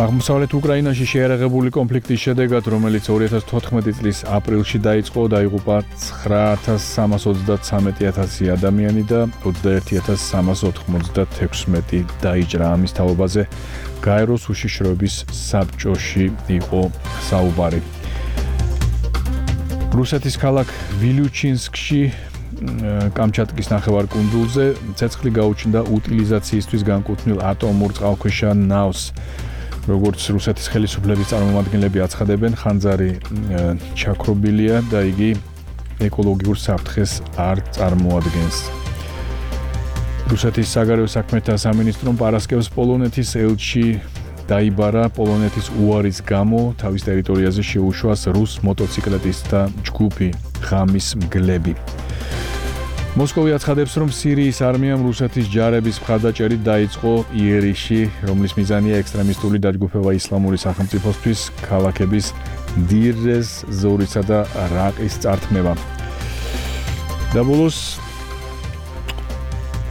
აღმოსავლეთ უკრაინაში შეერაღებული კონფლიქტის შედეგად, რომელიც 2014 წლის ապრილში დაიწყო, დაიღუპა 9,333 ადამიანი და 21,396 დაიჭრა. ამის თაობაზე გაეროს უშიშროების საბჭოში იყო საუბარი. რუსეთის ქალაქ ვილიუჩინსკში კამჩატკის ნახევარკუნძულზე ცეცხლი გაუჩნდა უტილიზაციისთვის განკუთვნილ ატომურ წყალქვეშა ნავს. როგორც რუსეთის ხელისუფლების წარმომადგენლები აცხადებენ, ხანძარი ჩაქრობილია და იგი ეკოლოგიურ საფრთხეს არ წარმოადგენს. რუსეთის საგარეო საქმეთა სამინისტრომ პარასკევს პოლონეთის ელჩი დაიბარა. პოლონეთის უარის გამო თავის ტერიტორიაზე შეუშვას რუს მოტოციკლეტისტთა ჯგუფი ღამის მგლები. მოსკოვი აცხადებს, რომ სირიის არმიამ რუსეთის ჯარების მხარდაჭერით დაიწყო იერიში, რომლის მიზანია ექსტრემისტული დაჯგუფება ისლამური სახელმწიფოსთვის ქალაქების დირ-ეს ზორისა და რაყის წართმევა. და ბოლოს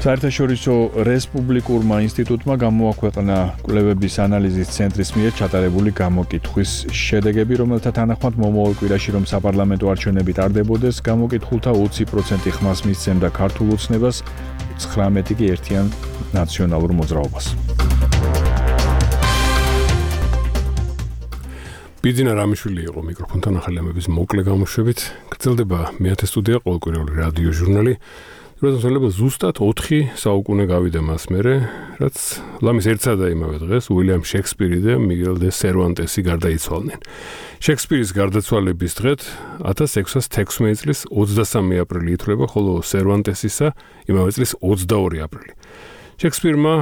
საერთაშორისო რესპუბლიკურმა ინსტიტუტმა გამოაქვეყნა კვლევების ანალიზის ცენტრის მიერ ჩატარებული გამოკითხვის შედეგები, რომელთა თანახმად მომავალ კვირაში რომ საპარლამენტო არჩევნები ტარდებოდეს, გამოკითხულთა 20% ხმას მისცემდა ქართულ ოცნებას, 19 კი ერთიან ნაციონალურ მოძრაობას. ბიძინა რამიშვილი იყო მიკროფონთან ახალი ამების მოკლე გამოშვებით. გრძელდება მე-10 სტუდია ყოველკვირეული რადიო ჟურნალი. როდესაც ზუსტად 4 საუკუნე გავიდა მას მერე, რაც ლამის ერთსა და იმავე დღეს უილიამ შექსპირი და მიგელ დე სერვანტესი გარდაიცვალნენ. შექსპირის გარდაცვალების დღეთ 1616 წლის 23 აპრილი ითვლება, ხოლო სერვანტესისა იმავე წლის 22 აპრილი. შექსპირმა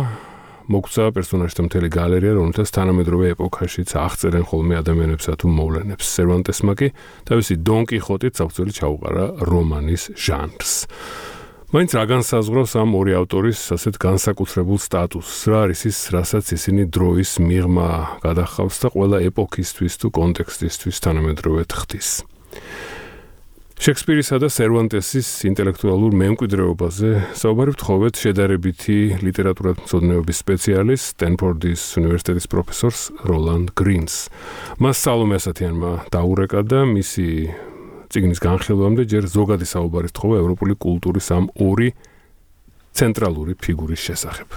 მოგცა პერსონაჟთა მთელი გალერეა, რომელთაც თანამედროვე ეპოქაშიც აღწერენ ხოლმე ადამიანებსა თუ მოვლენებს. სერვანტესმა კი თავისი დონ კიხოტით საფუძველი ჩაუყარა რომანის ჟანრს. მაინც რა განსაზღვრავს ამ ორი ავტორის ასეთ განსაკუთრებულ სტატუსს? რა არის ის, რასაც ისინი დროის მიღმა გადახავს და ყველა ეპოქისთვის თუ კონტექსტისთვის თანამედროვე ხდის? შექსპირისა და სერვანტესის ინტელექტუალურ მემკვიდრეობაზე საუბარი ვთხოვეთ შედარებითი ლიტერატურათმცოდნეობის სპეციალისტ, სტენფორდის უნივერსიტეტის პროფესორს როლანდ გრინს. მას სალომე ასათიანმა დაურეკა და მისი წიგნის განხილვამდე ჯერ ზოგადი საუბარი თხოვა ევროპული კულტურის ამ ორი ცენტრალური ფიგურის შესახებ.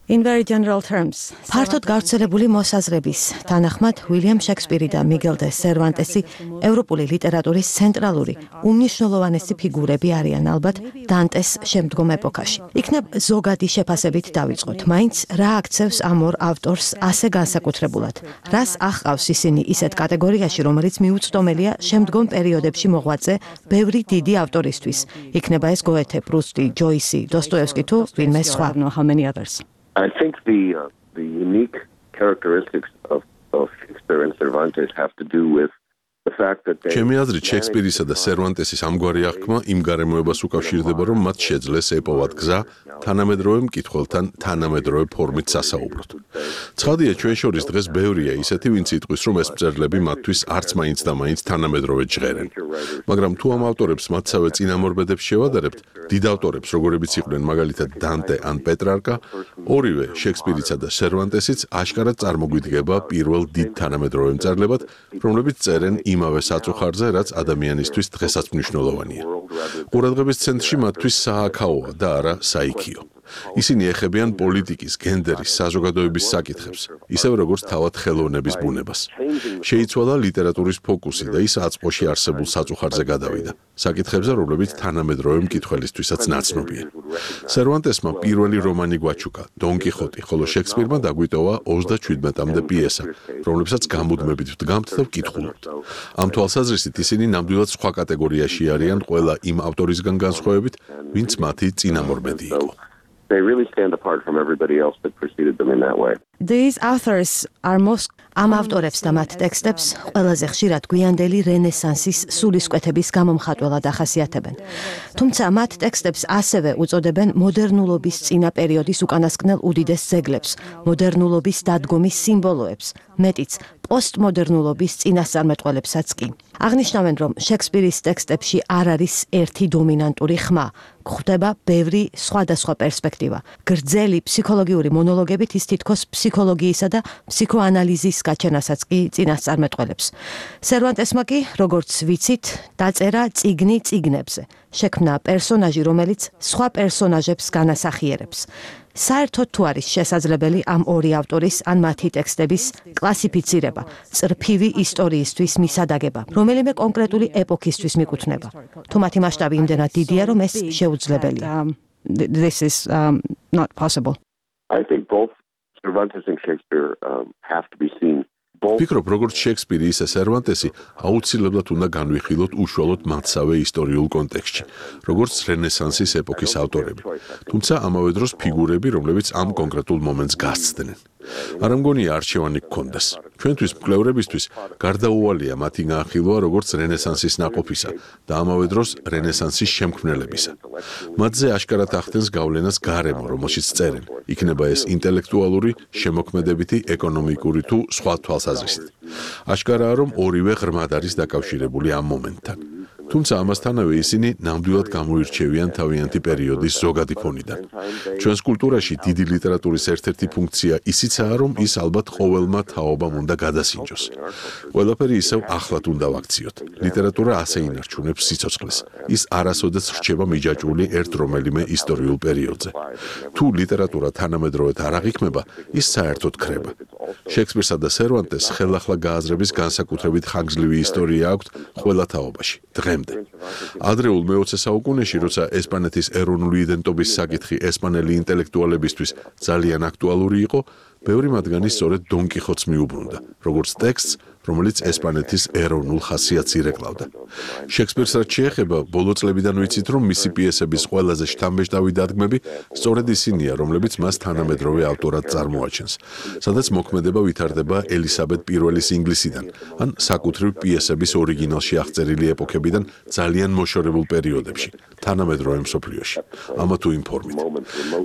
In very general terms, ფართოდ გავრცელებული მოსაზრების თანახმად უილიამ შექსპირი და მიგელ დე სერვანტესი ევროპული ლიტერატურის ცენტრალური, უმნიშვნელოვანესი ფიგურები არიან ალბათ დანტეს შემდგომ ეპოქაში. იქნებ ზოგადი შეფასებით დავიწყოთ, მაინც რა აქცევს ამ ორ ავტორს ასე განსაკუთრებულად? რას აღყავს ისინი ისეთ კატეგორიაში, რომელიც მიუწვდომელია შემდგომ პერიოდებში მოღვაწე ბევრი დიდი ავტორისთვის? იქნება ეს გოეთე, პრუსტი, ჯოისი, დოსტოევსკი თუ ვინმე სხვა. I think the unique characteristics of Shakespeare and Cervantes have to do with ჩემი აზრით შექსპირისა და სერვანტესის ამგვარი აღქმა იმ გარემოებას უკავშირდება, რომ მათ შეძლეს ეპოვათ გზა თანამედროვე მკითხველთან თანამედროვე ფორმით სასაუბროთ. ცხადია, ჩვენ შორის დღეს ბევრია ისეთი, ვინც იტყვის, რომ ეს მწერლები მათთვის არც მაინც და მაინც თანამედროვე ჟღერენ. მაგრამ თუ ამ ავტორებს მათსავე წინამორბედებს შევადარებთ, დიდ ავტორებს, როგორებიც იყვნენ მაგალითად დანტე ან პეტრარკა, ორივე შექსპირიცა და სერვანტესიც აშკარად წარმოგვიდგება პირველ დიდ თანამედროვე მწერლებად, რომლებიც წერენ იმავე საწუხარზე, რაც ადამიანისთვის დღესაც მნიშვნელოვანია. ყურადღების ცენტრში მათთვის სააქაოა და არა საიქიო. ისინი ეხებიან პოლიტიკის, გენდერის, საზოგადოების საკითხებს, ისევ როგორც თავად ხელოვნების ბუნებას. შეიცვალა ლიტერატურის ფოკუსი და ის აწმყოში არსებულ საწუხარზე გადავიდა, საკითხებზე, რომლებიც თანამედროვე მკითხველისთვისაც ნაცნობია. სერვანტესმა პირველი რომანი გვაჩუკა, დონ კიხოტი, ხოლო შექსპირმა დაგვიტოვა 37-მდე პიესა, რომლებსაც გამუდმებით ვდგამთ და ვკითხულობთ. ამ თვალსაზრისით ისინი ნამდვილად სხვა კატეგორიაში არიან ყველა იმ ავტორისგან განსხვავებით, ვინც მათი წინამორბედი იყო. They really stand apart from everybody else that preceded them in that way. These authors are most ამ ავტორებს და მათ ტექსტებს ყველაზე ხშირად გვიანდელი რენესანსის სულისკვეთების გამომხატველად ახასიათებენ. თუმცა მათ ტექსტებს ასევე უწოდებენ მოდერნულობის წინა პერიოდის უკანასკნელ უდიდეს ძეგლებს, მოდერნულობის დადგომის სიმბოლოებს, მეტიც პოსტმოდერნულობის წინასწარმეტყველებსაც კი. აღნიშნავენ, რომ შექსპირის ტექსტებში არ არის ერთი დომინანტური ხმა, გვხვდება ბევრი სხვადასხვა პერსპექტივა. გრძელი ფსიქოლოგიური მონოლოგებით ის თითქოს ფსიქოლოგიისა და ფსიქოანალიზის გაჩენასაც კი წინასწარმეტყველებს. სერვანტესმა კი, როგორც ვიცით, დაწერა წიგნი წიგნებზე. შექმნა პერსონაჟი, რომელიც სხვა პერსონაჟებს განასახიერებს. საერთოდ თუ არის შესაძლებელი ამ ორი ავტორის ან მათი ტექსტების კლასიფიცირება, წრფივი ისტორიისთვის მისადაგება, რომელიმე კონკრეტული ეპოქისთვის მიკუთვნება. თუ მათი მასშტაბი იმდენად დიდია, რომ ეს შეუძლებელია. This is not possible. I think both Cervantes and Shakespeare have to be seen. ვფიქრობ, როგორც შექსპირი, ისე სერვანტესი აუცილებლად უნდა განვიხილოთ უშუალოდ მათსავე ისტორიულ კონტექსტში, როგორც რენესანსის ეპოქის ავტორები, თუმცა ამავე დროს ფიგურები, რომლებიც ამ კონკრეტულ მომენტს გასცდნენ. არ მგონია არჩევანი გქონდეს. ჩვენთვის მკვლევრებისთვის გარდაუვალია მათი განხილვა როგორც რენესანსის ნაყოფისა და ამავე დროს რენესანსის შემქმნელებისა. მათზე აშკარად ახდენს გავლენას გარემო, რომელშიც წერენ. იქნება ეს ინტელექტუალური, შემოქმედებითი, ეკონომიკური თუ სხვა თვალსაზრისით. აშკარაა, რომ ორივე ღრმად არის დაკავშირებული ამ მომენტთან. თუმცა ამასთანავე ისინი ნამდვილად გამოირჩევიან თავიანთი პერიოდის ზოგადი ფონიდან. ჩვენს კულტურაში დიდი ლიტერატურის ერთ-ერთი ფუნქცია ისიცაა, რომ ის ალბათ ყოველმა თაობამ უნდა გადასინჯოს. ყველაფერი ისევ ახლად უნდა ვაქციოთ. ლიტერატურა ასე ინარჩუნებს სიცოცხლეს. ის არასოდეს რჩება მიჯაჭვული ერთ რომელიმე ისტორიულ პერიოდზე. თუ ლიტერატურა თანამედროვედ არ აღიქმება, ის საერთოდ ქრება. შექსპირსა და სერვანტეს ხელახლა გააზრების განსაკუთრებით ხანგრძლივი ისტორია აქვთ ყველა თაობაში. ადრეულ მე-20 საუკუნეში, როცა ესპანეთის ეროვნული იდენტობის საკითხი ესპანელი ინტელექტუალებისთვის ძალიან აქტუალური იყო, ბევრი მათგანი სწორედ დონ კიხოტს მიუბრუნდა, როგორც ტექსტს, რომელიც ესპანეთის ეროვნულ ხასიათს ირეკლავდა. შექსპირს რაც შეეხება, ბოლო წლებიდან ვიცით, რომ მისი პიესების ყველაზე შთამბეჭდავი დადგმები სწორედ ისინია, რომლებიც მას თანამედროვე ავტორად წარმოაჩენს, სადაც მოქმედება ვითარდება ელისაბედ I-ის ინგლისიდან, ან საკუთრივ პიესების ორიგინალში აღწერილი ეპოქებიდან ძალიან მოშორებულ პერიოდებში, თანამედროვე მსოფლიოში. ამა თუ იმ ფორმით.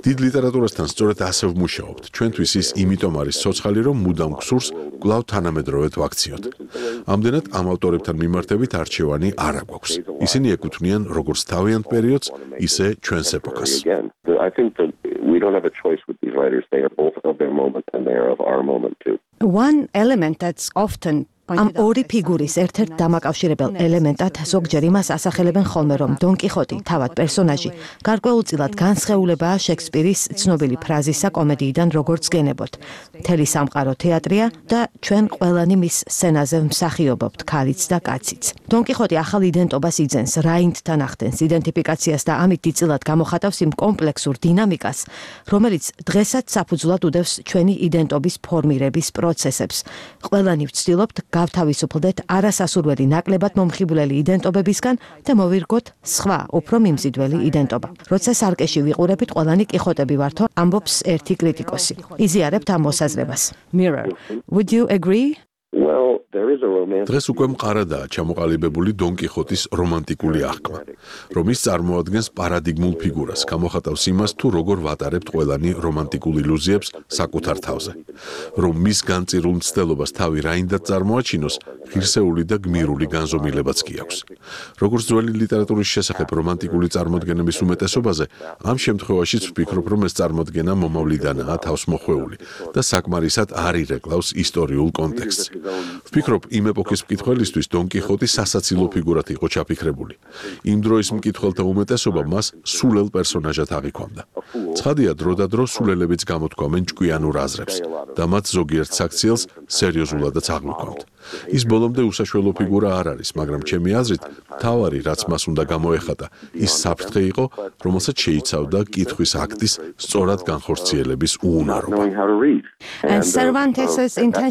დიდ ლიტერატურასთან სწორედ ასე ვმუშაობთ. ჩვენთვის ის იმიტომ არის ცოცხალი, რომ მუდამ გსურს კვლავ თანამედროვედ ვაქციოთ. ამდენად ამ ავტორებთან მიმართებით არჩევანი არ აგვაქვს. ისინი ეკუთვნიან როგორც თავიანთ პერიოდს, ისე ჩვენს ეპოქას. I think that we don't have a choice with these writers. They are both of their moment and they are of our moment too. One element that's often ამ ორი ფიგურის ერთ-ერთ დამაკავშირებელ ელემენტად ზოგჯერ იმას ასახელებენ ხოლმე, რომ დონ კიხოტი, თავად პერსონაჟი, გარკვეულწილად განსხეულებაა შექსპირის ცნობილი ფრაზისა კომედიიდან როგორც გენებოთ. მთელი სამყარო თეატრია და ჩვენ ყველანი მის სცენაზე მსახიობობთ, ქალიც და კაციც. დონ კიხოტი ახალ იდენტობას იძენს, რაინდთან ახდენს იდენტიფიკაციას და ამით დიდწილად გამოხატავს იმ კომპლექსურ დინამიკას, რომელიც დღესაც საფუძვლად უდევს ჩვენი იდენტობის ფორმირების პროცესებს. ყველანი ვცდილობთ გავთავისუფლდეთ არასასურველი ნაკლებად მომხიბვლელი იდენტობებისგან და მოვირგოთ სხვა, უფრო მიმზიდველი იდენტობა. როცა სარკეში ვიყურებით, ყველანი კიხოტები ვართო, ამბობს ერთი კრიტიკოსი. იზიარებთ ამ მოსაზრებას. Mirror. Would you agree? Well, there is a romance. დღეს უკვე მყარადაა ჩამოყალიბებული დონ კიხოტის რომანტიკული აღქმა, რომ ის წარმოადგენს პარადიგმულ ფიგურას, გამოხატავს იმას, თუ როგორ ვატარებთ ყველანი რომანტიკულ ილუზიებს საკუთარ თავზე, რომ მის განწირულ მცდელობას თავი რაინდად წარმოაჩინოს, ღირსეული და გმირული განზომილებაც კი აქვს. როგორც ძველი ლიტერატურის შესახებ რომანტიკული წარმოდგენების უმეტესობაზე, ამ შემთხვევაშიც ვფიქრობ, რომ ეს წარმოდგენა მომავლიდანაა თავსმოხვეული და საკმარისად არ ირეკლავს ისტორიულ კონტექსტს. ვფიქრობ, იმ ეპოქის მკითხველისთვის დონ კიხოტი სასაცილო ფიგურად იყო ჩაფიქრებული. იმ დროის მკითხველთა უმეტესობა მას სულელ პერსონაჟად აღიქვამდა. ცხადია, დრო და დრო სულელებიც გამოთქვამენ ჭკვიანურ აზრებს და მათ ზოგიერთ საქციელს სერიოზულადაც აღმოქვამთ. ის ბოლომდე უსაშველო ფიგურა არ არის, მაგრამ ჩემი აზრით, თავარი, რაც მას უნდა გამოეხატა, ის საფრთხე იყო, რომელსაც შეიცავდა კითხვის აქტის სწორად განხორციელების უუნარობა.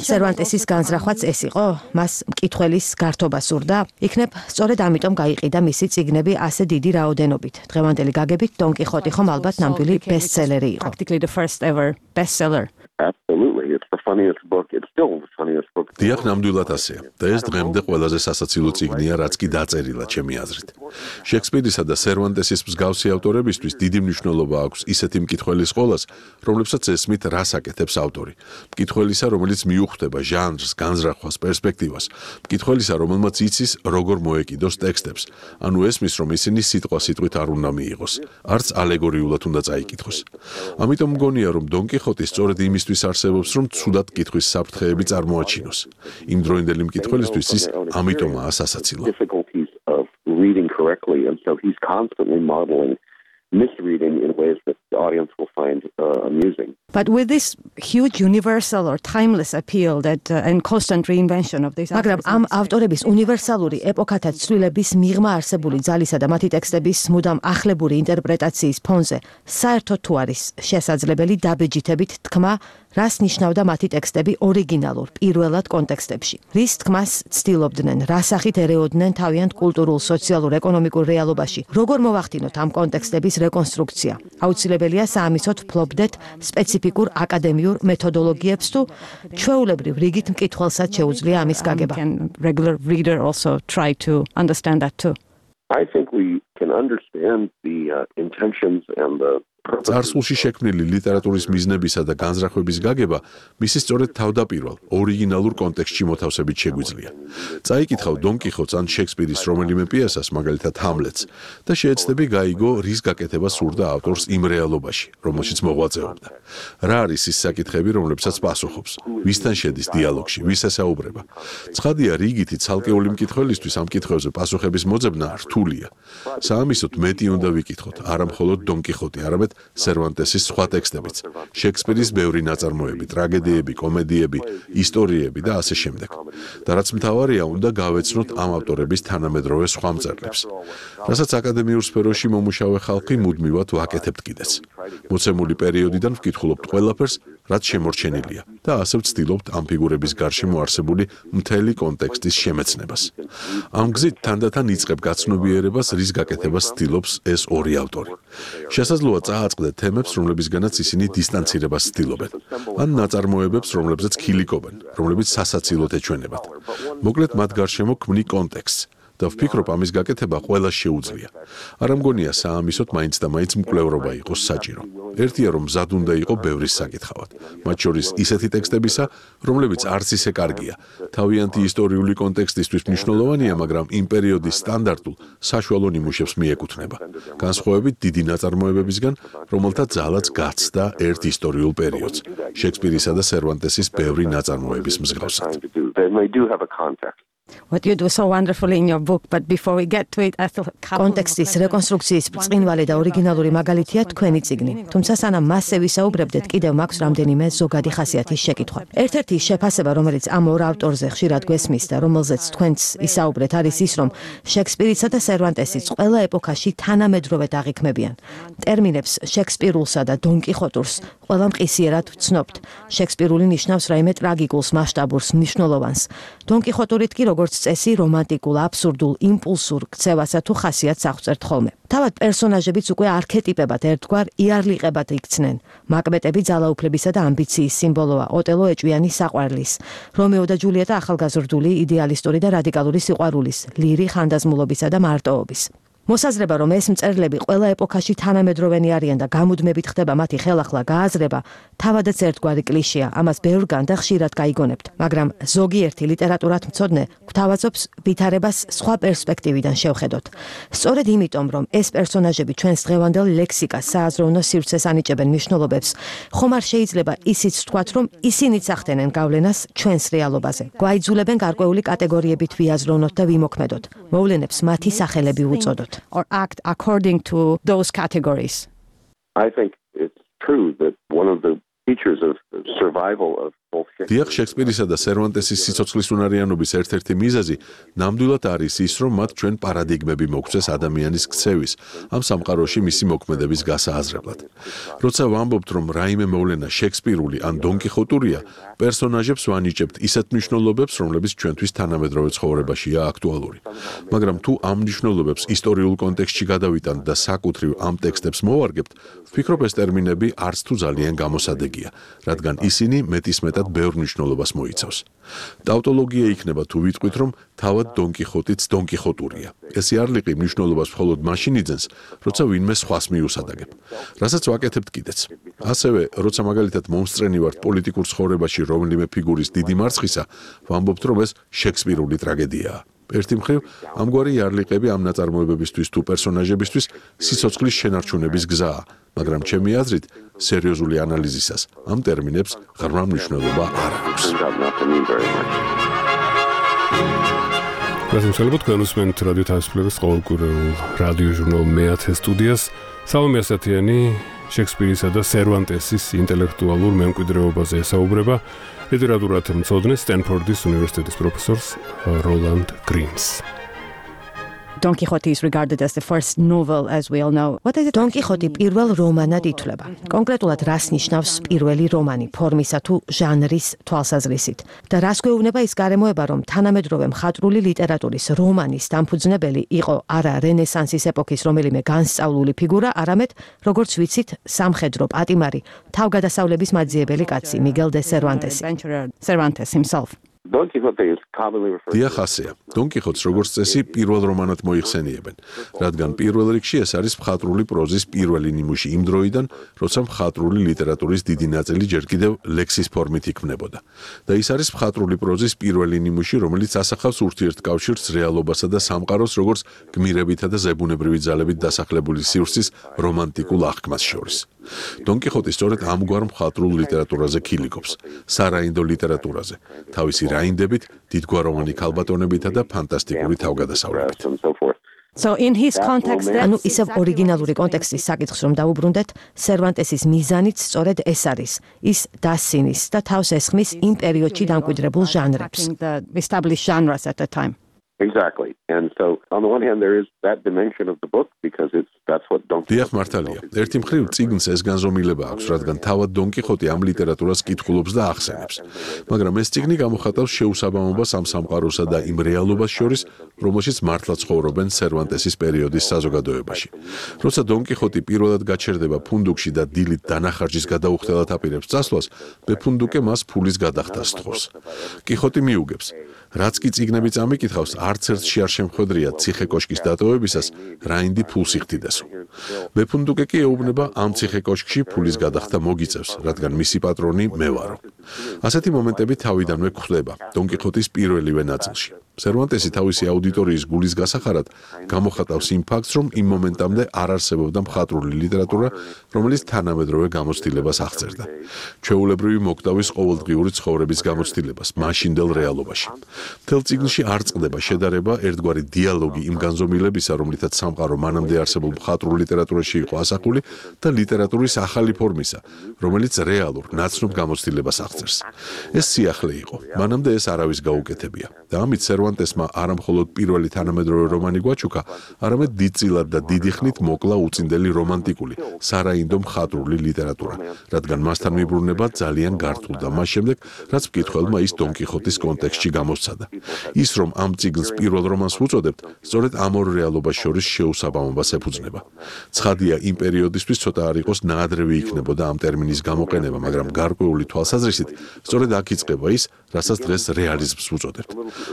სერვანტესის განზრახვაც ეს იყო, მას მკითხველის გართობა სურდა, იქნებ სწორედ ამიტომ გაიყიდა მისი წიგნები ასე დიდი რაოდენობით. დღევანდელი გაგებით დონ კიხოტი ხომ ალბათ ნამდვილი ბესტსელერი იყო. Absolutely. funniest book. It's still the funniest book. დიახ, ნამდვილად ასეა. და ეს დღემდე ყველაზე სასაცილო წიგნია, რაც კი დაწერილა, ჩემი აზრით. შექსპირისა და სერვანტესის მსგავსი ავტორებისთვის დიდი მნიშვნელობა აქვს ისეთი მკითხველის ყოლას, რომლებსაც ესმით რას აკეთებს ავტორი. მკითხველისა, რომელიც მიუხვდება ჟანრს, განზრახვას, პერსპექტივას. მკითხველისა, რომელმაც იცის, როგორ მოეკიდოს ტექსტებს. ანუ ესმის, რომ ისინი სიტყვა-სიტყვით არ უნდა მიიღოს, არც ალეგორიულად უნდა წაიკითხოს. ამიტომ მგონია, რომ დონ კიხოტი სწორედ იმისთვის არსებობს, რომ ცუდად კითხვის საფრთხეები წარმოაჩინოს. იმდროინდელი მკითხველისთვის ის ამიტომაა სასაცილო. Reading correctly, and so he's constantly modeling misreading in ways that the audience will find amusing. But with this huge universal or timeless appeal that and constant reinvention of this მაგრამ ამ ავტორების უნივერსალური ეპოქათა ცვლილების მიღმა არსებული ძალისა და მათი ტექსტების მუდამ ახლებური ინტერპრეტაციის ფონზე საერთოდ თუ არის შესაძლებელი დაბეჯითებით თქმა რას ნიშნავდა მათი ტექსტები ორიგინალურ პირველად კონტექსტებში რის თქმას ცდილობდნენ რასახით ერეოდნენ თავიანთ კულტურულ სოციალურ ეკონომიკურ რეალობაში როგორ მოვახდინოთ ამ კონტექსტების რეკონსტრუქცია აუცილებელია საამისოდ ფლობდეთ სპეციფიკურ აკადემიურ მეთოდოლოგიებს თუ ჩვეულებრივ რიგით მკითხველსაც შეუძლია ამის გაგება regular reader also try to understand that too I think we can understand the intentions and the წარსულში შექმნილი ლიტერატურის მიზნებისა და განზრახვების გაგება მისი სწორედ თავდაპირველ ორიგინალურ კონტექსტში მოთავსებით შეგვიძლია. წაიკითხავ დონ კიხოტს ან შექსპირის რომელიმე პიესას, მაგალითად ჰამლეტს, და შეეცდები გაიგო, რის გაკეთება სურდა ავტორს იმ რეალობაში, რომელშიც მოღვაწეობდა. რა არის ის საკითხები, რომლებსაც პასუხობს, ვისთან შედის დიალოგში, ვის ესაუბრება. ცხადია, რიგითი ცალკეული მკითხველისთვის ამ კითხვებზე პასუხების მოძებნა რთულია. საამისოდ მეტი უნდა ვიკითხოთ, არა მხოლოდ დონ კიხოტი, არამედ სერვანტესის სხვა ტექსტებიც, შექსპირის ბევრი ნაწარმოები, ტრაგედიები, კომედიები, ისტორიები და ასე შემდეგ. და რაც მთავარია, უნდა გავეცნოთ ამ ავტორების თანამედროვე სხვა მწერლებს. რასაც აკადემიურ სფეროში მომუშავე ხალხი მუდმივად ვაკეთებთ კიდეც. მოცემული პერიოდიდან ვკითხულობთ ყველაფერს, რაც შემორჩენილია და ასე ვცდილობთ ამ ფიგურების გარშემო არსებული მთელი კონტექსტის შემეცნებას. ამ გზით თანდათან იწყებ გაცნობიერებას, რის გაკეთებას ცდილობს ეს ორი ავტორი. შესაძლოა წააწყდეთ თემებს, რომლებისგანაც ისინი დისტანცირებას ცდილობენ, ან ნაწარმოებებს, რომლებზეც ქილიკობენ, რომლებიც სასაცილოდ ეჩვენებათ. მოკლედ მათ გარშემო ქმნი კონტექსტს. და ვფიქრობ ამის გაკეთება ყველას შეუძლია. არ მგონია საამისოდ მაინც და მაინც მკვლევრობა იყოს საჭირო. ერთია რომ მზად უნდა იყო ბევრის საკითხავად, მათ შორის ისეთი ტექსტებისა, რომლებიც არც ისე კარგია. თავიანთი ისტორიული კონტექსტისთვის მნიშვნელოვანია, მაგრამ იმ პერიოდის სტანდარტულ საშუალო ნიმუშებს მიეკუთვნება. განსხვავებით დიდი ნაწარმოებებისგან, რომელთა ძალაც გაცდა ერთ ისტორიულ პერიოდს, შექსპირისა და სერვანტესის ბევრი ნაწარმოების მსგავსად. What you do so wonderfully in your book, but before we get to it, I thought კონტექსტის რეკონსტრუქციის ბრწყინვალე და ორიგინალური მაგალითია თქვენი წიგნი. თუმცა სანამ მასზე ვისაუბრებდეთ, კიდევ მაქვს რამდენიმე ზოგადი ხასიათის შეკითხვა. ერთ-ერთი შეფასება, რომელიც ამ ორ ავტორზე ხშირად გვესმის და რომელზეც თქვენც ისაუბრეთ, არის ის, რომ შექსპირისა და სერვანტესიც ყველა ეპოქაში თანამედროვედ აღიქმებიან. ტერმინებს შექსპირულსა და დონ კიხოტურს ყველა მყისიერად ვცნობთ. შექსპირული ნიშნავს რაიმე ტრაგიკულს, მასშტაბურს, მნიშვნელოვანს. დონ კიხოტურით კი როგორც წესი რომანტიკულ, აბსურდულ, იმპულსურ ქცევასა თუ ხასიათს აღწერთ ხოლმე. თავად პერსონაჟებიც უკვე არქეტიპებად ერთგვარ იარლიყებად იქცნენ. მაკბეტები ძალაუფლებისა და ამბიციის სიმბოლოა, ოტელო ეჭვიანი საყვარლის, რომეო და ჯულიეტა ახალგაზრდული, იდეალისტური და რადიკალური სიყვარულის, ლირი ხანდაზმულობისა და მარტოობის. მოსაზრება, რომ ეს მწერლები ყველა ეპოქაში თანამედროვენი არიან და გამუდმებით ხდება მათი ხელახლა გააზრება, თავადაც ერთგვარი კლიშეა, ამას ბევრგან და ხშირად გაიგონებთ, მაგრამ ზოგიერთი ლიტერატურათ მცოდნე გვთავაზობს ვითარებას სხვა პერსპექტივიდან შევხედოთ. სწორედ იმიტომ, რომ ეს პერსონაჟები ჩვენს დღევანდელ ლექსიკას, სააზროვნო სივრცეს ანიჭებენ მნიშვნელობებს, ხომ არ შეიძლება ისიც ვთქვათ, რომ ისინიც ახდენენ გავლენას ჩვენს რეალობაზე. გვაიძულებენ გარკვეული კატეგორიებით ვიაზროვნოთ და ვიმოქმედოთ. მოვლენებს მათი სახელები ვუწოდოთ. Or act according to those categories. I think it's true that one of the features of survival of დიახ, შექსპირისა და სერვანტესის სიცოცხლის უნარიანობის ერთ-ერთი მიზეზი ნამდვილად არის ის, რომ მათ ჩვენ პარადინგმები მოგცეს ადამიანის ქცევის, ამ სამყაროში მისი მოქმედების გასააზრებლად. როცა ვამბობთ, რომ რაიმე მოვლენა შექსპირული ან დონ კიხოტურია, პერსონაჟებს ვანიჭებთ ისეთ მნიშვნელობებს, რომლებიც ჩვენთვის თანამედროვე ცხოვრებაშია აქტუალური. მაგრამ თუ ამ მნიშვნელობებს ისტორიულ კონტექსტში გადავიტანთ და საკუთრივ ამ ტექსტებს მოვარგებთ, ვფიქრობ ეს ტერმინები არც თუ ძალიან გამოსადეგია, რადგან ისინი მეტისმეტად ბევრ ბევრ მნიშვნელობას მოიცავს. ტავტოლოგია იქნება თუ ვიტყვით, რომ თავად დონ კიხოტიც დონ კიხოტურია. ეს იარლიყი მნიშვნელობას მხოლოდ მაშინ იძენს, როცა ვინმე სხვას მიუსადაგებ. რასაც ვაკეთებთ კიდეც. ასევე, როცა მაგალითად მომსწრენი ვართ პოლიტიკურ ცხოვრებაში რომელიმე ფიგურის დიდი მარცხისა, ვამბობთ, რომ ეს შექსპირული ტრაგედიაა. ერთი მხრივ, ამგვარი იარლიყები ამ ნაწარმოებებისთვის თუ პერსონაჟებისთვის სიცოცხლის შენარჩუნების გზაა, მაგრამ ჩემი აზრით, სერიოზული ანალიზისას ამ ტერმინებს ღრმა მნიშვნელობა არ აქვს. გასამშალებლად განუსმენთ რადიო თავისუფლების ყოველკვირეულ რადიო ჟურნალ მე-10 სტუდიას. სალომე ასათიანი შექსპირისა და სერვანტესის ინტელექტუალურ მემკვიდრეობაზე ესაუბრება ლიტერატურათა მცოდნე სტენფორდის უნივერსიტეტის პროფესორს როლანდ გრინს. Don Quixote is regarded as the first novel, as we all know. What is it? Don Quixote პირველ რომანად ითვლება. კონკრეტულად რას ნიშნავს პირველი რომანი ფორმისა თუ ჟანრის თვალსაზრისით? და რას გვეუბნება ის გარემოება, რომ თანამედროვე მხატვრული ლიტერატურის რომანის დამფუძნებელი იყო არა რენესანსის ეპოქის რომელიმე განსწავლული ფიგურა, არამედ, როგორც ვიცით, სამხედრო პატიმარი, თავგადასავლების მაძიებელი კაცი მიგელ დე სერვანტესი. Cervantes himself. Don Quixote is commonly referred დიახ, ასეა. დონ კიხოტს როგორც წესი პირველ რომანად მოიხსენიებენ, რადგან პირველ რიგში ეს არის მხატვრული პროზის პირველი ნიმუში იმ დროიდან, როცა მხატვრული ლიტერატურის დიდი ნაწილი ჯერ კიდევ ლექსის ფორმით იქმნებოდა. და ის არის მხატვრული პროზის პირველი ნიმუში, რომელიც ასახავს ურთიერთკავშირს რეალობასა და სამყაროს, როგორც გმირებითა და ზებუნებრივი ძალებით დასახლებული სივრცის რომანტიკულ აღქმას შორის. დონ კიხოტი სწორედ ამგვარ მხატვრულ ლიტერატურაზე ქილიკობს, სარაინდო ლიტერატურაზე, თავისი რაინდებით, დიდგვაროვანი ქალბატონებითა და ფანტასტიკური თავგადასავლებით. So in his context, ანუ ისევ ორიგინალური კონტექსტის საკითხს რომ დაუბრუნდეთ, სერვანტესის მიზანიც სწორედ ეს არის. ის დასცინის და თავს ესხმის იმ პერიოდში დამკვიდრებულ ჟანრებს. Established genres at the time. Exactly. And so on the one hand there is that dimension of the book because that's what Don Quixote. დიახ, მართალია. ერთი მხრივ წიგნს ეს განზომილება აქვს, რადგან თავად დონ კიხოტი ამ ლიტერატურას კითხულობს და ახსენებს. მაგრამ ეს წიგნი გამოხატავს შეუსაბამობას ამ სამყაროსა და იმ რეალობას შორის, რომელშიც მართლა ცხოვრობენ სერვანტესის პერიოდის საზოგადოებაში. როცა დონ კიხოტი პირველად გაჩერდება ფუნდუკში და დილით დანახარჯის გადაუხდელად აპირებს წასვლას, მეფუნდუკე მას ფულის გადახდას სთხოვს. კიხოტი მიუგებს, რაც კი წიგნები წამიკითხავს, არც ერთში არ შემხვედრია ციხე კოშკის დატოვებისას რაინდი ფულს იხდიდასო. მეფუნდუკე კი ეუბნება ამ ციხე კოშკში ფულის გადახდა მოგიწევს, რადგან მისი პატრონი მე ვარო. ასეთი მომენტები თავიდანვე გვხვდება დონ კიხოტის პირველივე ნაწილში. სერვანტესი თავისი აუდიტორიის გულის გასახარად გამოხატავს იმ ფაქტს, რომ იმ მომენტამდე არ არსებობდა მხატვრული ლიტერატურა, რომელიც თანამედროვე გამოცდილებას აღწერდა. ჩვეულებრივი მოკვდავის ყოველდღიური ცხოვრების გამოცდილებას მაშინდელ რეალობაში. მთელ წიგნში არ წყდება შედარება, ერთგვარი დიალოგი იმ განზომილებისა, რომლითაც სამყარო მანამდე არსებულ მხატვრულ ლიტერატურაში იყო ასახული და ლიტერატურის ახალი ფორმისა, რომელიც რეალურ ნაცნობ გამოცდილებას აღწერს. ეს სიახლე იყო. მანამდე ეს არავის გაუკეთებია და ამით სერვანტესმა არა მხოლოდ პირველი თანამედროვე რომანი გვაჩუქა, არამედ დიდწილად და დიდი ხნით მოკლა უწინდელი რომანტიკული, სარაინდო მხატვრული ლიტერატურა, რადგან მასთან მიბრუნება ძალიან გართულ და მას შემდეგ, რაც მკითხველმა ის დონ კიხოტის კონტექსტში გამოსცადა. ის რომ ამ წიგნს პირველ რომანს ვუწოდებთ, სწორედ ამ ორ რეალობას შორის შეუსაბამობას ეფუძნება. ცხადია, იმ პერიოდისთვის ცოტა არ იყოს ნაადრევი იქნებოდა ამ ტერმინის გამოყენება, მაგრამ გარკვეული თვალსაზრისით, სწორედ აქ იწყება ის, რასაც დღეს რეალიზმს ვუწოდებთ.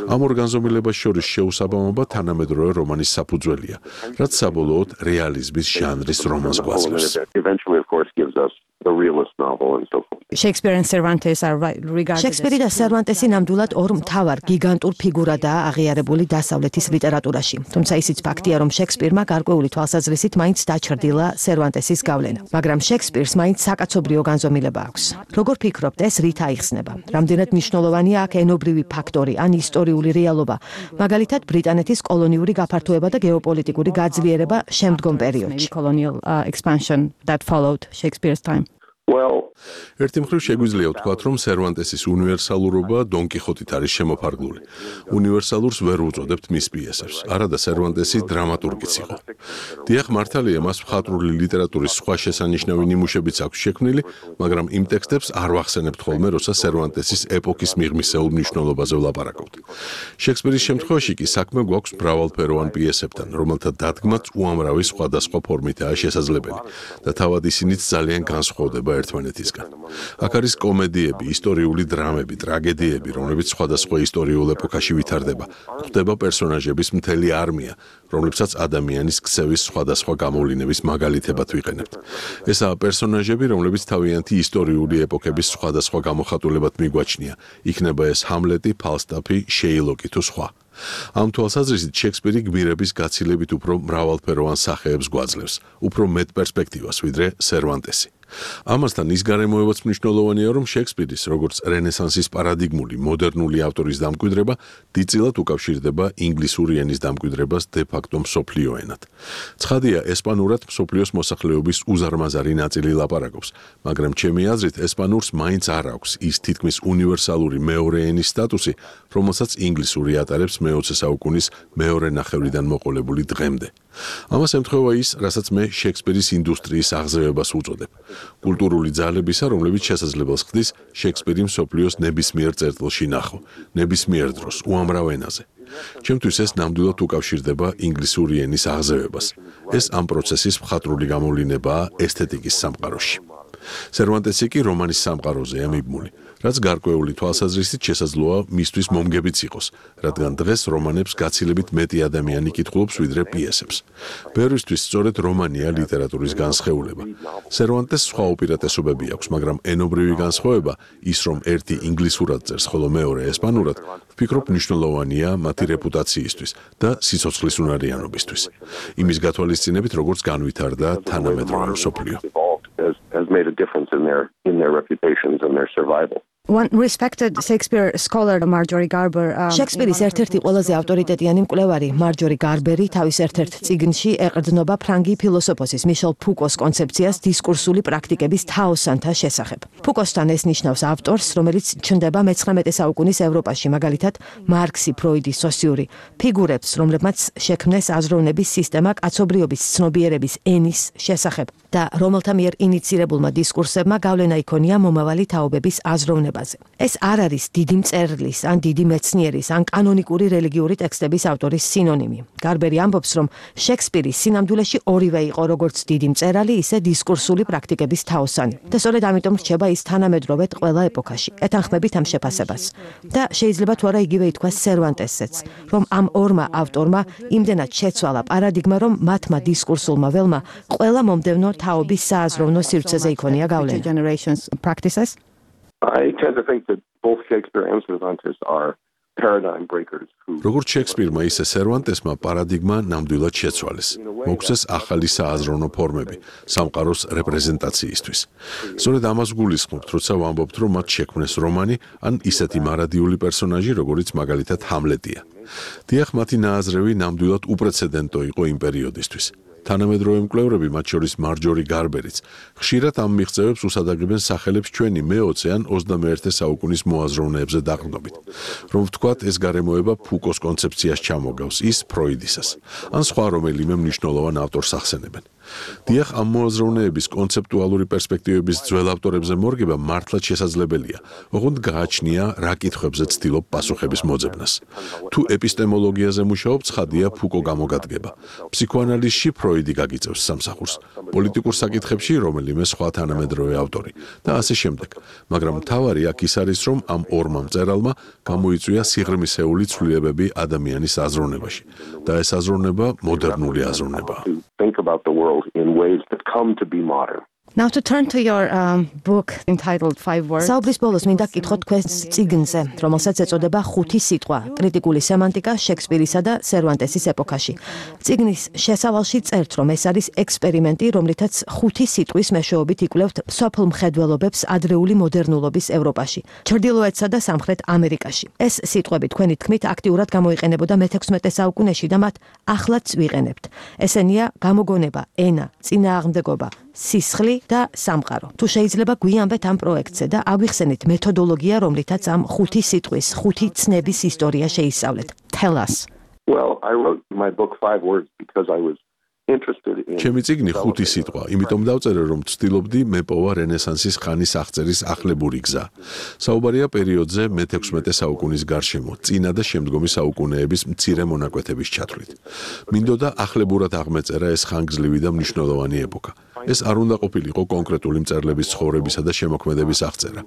ამ ორ განზომილებას შორის შეუსაბამობა თანამედროვე რომანის საფუძველია, რაც საბოლოოდ რეალიზმის ჟანრის რომანს გვაძლევს. Eventually of course gives us the realist novel and so forth. Shakespeare and Cervantes are regarded. Shakespeare და სერვანტესი ნამდვილად ორ მთავარ გიგანტურ ფიგურადაა აღიარებული დასავლეთის ლიტერატურაში. თუმცა ისიც ფაქტია, რომ შექსპირმა გარკვეული თვალსაზრისით მაინც დაჩრდილა სერვანტესის გავლენა, მაგრამ შექსპირს მაინც საკაცობრიო განზომილება აქვს. როგორ ფიქრობთ, ეს რით აიხსნება? რამდენად მნიშვნელოვანია აქ ენობრივი ფაქტორი ან ისტორიული რეალობა, მაგალითად ბრიტანეთის კოლონიური გაფართოება და გეოპოლიტიკური გაძლიერება შემდგომ პერიოდში. Colonial expansion that followed Shakespeare's time. ერთი მხრივ შეგვიძლია ვთქვათ, რომ სერვანტესის უნივერსალურობა დონ კიხოტით არის შემოფარგლული. უნივერსალურს ვერ უწოდებთ მის პიესებს, არადა სერვანტესი დრამატურგიც იყო. დიახ, მართალია, მას მხატვრული ლიტერატურის სხვა შესანიშნავი ნიმუშებიც აქვს შექმნილი, მაგრამ იმ ტექსტებს არ ვახსენებთ ხოლმე, როცა სერვანტესის ეპოქის მიღმისეულ მნიშვნელობაზე ვლაპარაკობთ. შექსპირის შემთხვევაში კი საქმე გვაქვს მრავალფეროვან პიესებთან, რომელთა დადგმაც უამრავი სხვადასხვა ფორმითაა შესაძლებელი და თავად ისინიც ძალიან განსხვავდება ერთმანეთისგან. ნაწილისგან. აქ არის კომედიები, ისტორიული დრამები, ტრაგედიები, რომლებიც სხვადასხვა ისტორიულ ეპოქაში ვითარდება. გვხვდება პერსონაჟების მთელი არმია, რომლებსაც ადამიანის ქცევის სხვადასხვა გამოვლინების მაგალითებად ვიყენებთ. ესაა პერსონაჟები, რომლებიც თავიანთი ისტორიული ეპოქების სხვადასხვა გამოხატულებად მიგვაჩნია. იქნება ეს ჰამლეტი, ფალსტაფი, შეილოკი თუ სხვა. ამ თვალსაზრისით შექსპირი გმირების გაცილებით უფრო მრავალფეროვან სახეებს გვაძლევს, უფრო მეტ პერსპექტივას, ვიდრე სერვანტესი. ამასთან ის გარემოებაც მნიშვნელოვანია, რომ შექსპირის, როგორც რენესანსის პარადიგმული, მოდერნული ავტორის დამკვიდრება დიდწილად უკავშირდება ინგლისური ენის დამკვიდრებას დე-ფაქტო მსოფლიო ენად. ცხადია, ესპანურად მსოფლიოს მოსახლეობის უზარმაზარი ნაწილი ლაპარაკობს, მაგრამ ჩემი აზრით, ესპანურს მაინც არ აქვს ის თითქმის უნივერსალური მეორე ენის სტატუსი, რომელსაც ინგლისური ატარებს მე-20 საუკუნის მეორე ნახევრიდან მოყოლებული დღემდე. ამას ემთხვევა ის, რასაც მე შექსპირის ინდუსტრიის აღზევებას უწოდებ. კულტურული ძალებისა, რომლებიც შესაძლებელს ხდის შექსპირი მსოფლიოს ნებისმიერ წერტილში ნახო, ნებისმიერ დროს, უამრავ ენაზე. ჩემთვის ეს ნამდვილად უკავშირდება ინგლისური ენის აღზევებას. ეს ამ პროცესის მხატვრული გამოვლინებაა ესთეტიკის სამყაროში. სერვანტესი კი რომანის სამყაროზეა მიბმული, რაც გარკვეული თვალსაზრისით შესაძლოა მისთვის მომგებიც იყოს, რადგან დღეს რომანებს გაცილებით მეტი ადამიანი კითხულობს ვიდრე პიესებს. ბევრისთვის სწორედ რომანია ლიტერატურის განსხეულება. სერვანტეს სხვა უპირატესობები აქვს, მაგრამ ენობრივი განსხვავება, ის რომ ერთი ინგლისურად წერს, ხოლო მეორე ესპანურად, ვფიქრობ მნიშვნელოვანია მათი რეპუტაციისთვის და სიცოცხლის უნარიანობისთვის. იმის გათვალისწინებით, როგორც განვითარდა თანამედროვე მსოფლიო. Has made a difference in their reputations and their survival. One respected Shakespeare scholar Marjorie Garber Shakespeare-ის ერთ-ერთი ყველაზე ავტორიტეტიანი მკვლევარი Marjorie Garber-ი თავის ერთ-ერთ წიგნში ეყრდნობა ფრანგი ფილოსოფოსის Michel Foucault-ს კონცეფციას დისკურსული პრაქტიკების თაოსანთა შესახებ. Foucault-სთან ეს ნიშნავს ავტორს, რომელიც ჩნდება მე-19 საუკუნის ევროპაში, მაგალითად მარქსი, ფროიდი, სოსიური ფიგურებს, რომლებმაც შექმნეს აზროვნების სისტემა კაცობრიობის ცნობიერების ენის შესახებ და რომელთა მიერ ინიცირებულმა დისკურსებმა გავლენა იქონია მომავალი თაობების აზროვნებაზე. ეს არ არის დიდი მწერლის, ან დიდი მეცნიერის, ან კანონიკური რელიგიური ტექსტების ავტორის სინონიმი. გარბერი ამბობს, რომ შექსპირი სინამდვილეში ორივე იყო, როგორც დიდი მწერალი, ისე დისკურსული პრაქტიკების თაოსანი. და სწორედ ამიტომ რჩება ის თანამედროვედ ყველა ეპოქაში, ეთანხმებით ამ შეფასებას. და შეიძლება თუ არა იგივე ითქვას სერვანტესზეც, რომ ამ ორმა ავტორმა იმდენად შეცვალა პარადიგმა, რომ მათმა დისკურსულმა ველმა ყველა მომდევნო თაობის სააზროვნო სივრცეზე იქონია გავლენა. I tend to think that both Shakespeare and Cervantes are paradigm breakers who როგორც შექსპირმა, ისე სერვანტესმა პარადიგმა ნამდვილად შეცვალეს. მოგვცეს ახალი სააზროვნო ფორმები სამყაროს რეპრეზენტაციისთვის. სწორედ ამას გულისხმობთ, როცა ვამბობთ, რომ მათ შექმნეს რომანი ან ისეთი მარადიული პერსონაჟი, როგორიც მაგალითად ჰამლეტია. დიახ, მათი ნააზრევი ნამდვილად უპრეცედენტო იყო იმ პერიოდისთვის. თანამედროვე მკვლევრები, მათ შორის მარჯორი გარბერიც, ხშირად ამ მიღწევებს უსადაგებენ სახელებს ჩვენი მე-20 ან 21 საუკუნის მოაზროვნეებზე დაყრდნობით. რომ ვთქვათ, ეს გარემოება ფუკოს კონცეფციას ჩამოგავს, ის ფროიდისას, ან სხვა რომელიმე მნიშვნელოვან ავტორს ახსენებენ. დიახ, ამ მოაზროვნეების კონცეპტუალური პერსპექტივების ძველ ავტორებზე მორგება მართლაც შესაძლებელია, ოღონდ გააჩნია რა კითხვებზე ცდილობ პასუხების მოძებნას. თუ ეპისტემოლოგიაზე მუშაობ, ცხადია ფუკო გამოგადგება. ფსიქოანალიზში ფროიდი გაგიწევს სამსახურს, პოლიტიკურ საკითხებში რომელიმე სხვა თანამედროვე ავტორი და ასე შემდეგ. მაგრამ მთავარი აქ ის არის, რომ ამ ორმა მწერალმა გამოიწვია სიღრმისეული ცვლილებები ადამიანის აზროვნებაში და ეს აზროვნება მოდერნული აზროვნებაა. think about the world in ways that come to be modern. Now to turn to your book entitled 5 words. საუბრის ბოლოს მინდა გკითხოთ თქვენს წიგნზე, რომელსაც ეწოდება 5 სიტყვა: კრიტიკული სემანტიკა შექსპირისა და სერვანტესის ეპოქაში. წიგნის შესავალში წერთ, რომ ეს არის ექსპერიმენტი, რომლითაც 5 სიტყვის მეშვეობით იკვლევთ სოფლ მხედველობებს ადრეული მოდერნულობის ევროპაში, ჩრდილოეთსა და სამხრეთ ამერიკაში. ეს სიტყვები თქვენი თქმით აქტიურად გამოიყენებოდა მე-16 საუკუნეში და მათ ახლაც ვიყენებთ. ესენია გამოგონება, ენა, წინააღმდეგობა, სისხლი და სამყარო. თუ შეიძლება გვიამბეთ ამ პროექტზე და აგვიხსენეთ მეთოდოლოგია, რომლითაც ამ 5 სიტყვის, 5 ცნების ისტორია შეისწავლეთ. Tell us. Well, I wrote my book 5 words because I was interested in ჩემი წიგნი 5 სიტყვა, იმიტომ დავწერე, რომ ვცდილობდი მეპოვა რენესანსის ხანის აღწერის ახლებური გზა. საუბარია პერიოდზე მე-16 საუკუნის გარშემო, წინა და შემდგომი საუკუნეების მცირე მონაკვეთების ჩათვლით. მინდოდა ახლებურად აღმეწერა ეს ხანგრძლივი და მნიშვნელოვანი ეპოქა. ეს არ უნდა ყოფილიყო კონკრეტული მწერლების ცხოვრებისა და შემოქმედების აღწერა,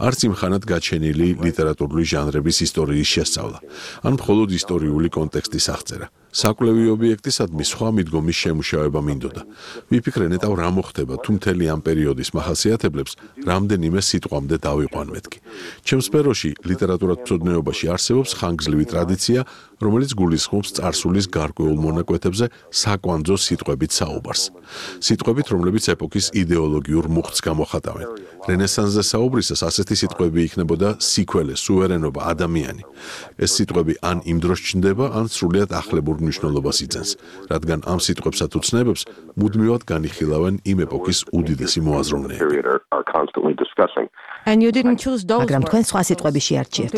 არც იმ ხანად გაჩენილი ლიტერატურული ჟანრების ისტორიის შესწავლა, ან მხოლოდ ისტორიული კონტექსტის აღწერა. საკვლევი ობიექტისადმი სხვა მიდგომის შემუშავება მინდოდა. ვიფიქრე ნეტავ რა მოხდება თუ მთელი ამ პერიოდის მახასიათებლებს რამდენიმე სიტყვამდე დავიყვან მეთქი. ჩემს სფეროში ლიტერატურათმცოდნეობაში არსებობს ხანგრძლივი ტრადიცია, რომელიც გულისხმობს წარსულის გარკვეულ მონაკვეთებზე საკვანძო სიტყვებით საუბარს. სიტყვებით, რომლებიც ეპოქის იდეოლოგიურ მუხტს გამოხატავენ. რენესანსზე საუბრისას ასეთი სიტყვები იქნებოდა სიქველე, სუვერენობა, ადამიანი. ეს სიტყვები ან იმ დროს ჩნდება, ან სრულიად ახლებურ მნიშვნელობას იძენს, რადგან ამ სიტყვებსა თუ ცნებებს მუდმივად განიხილავენ იმ ეპოქის უდიდესი მოაზროვნეები. მაგრამ თქვენ სხვა სიტყვები შეარჩიეთ.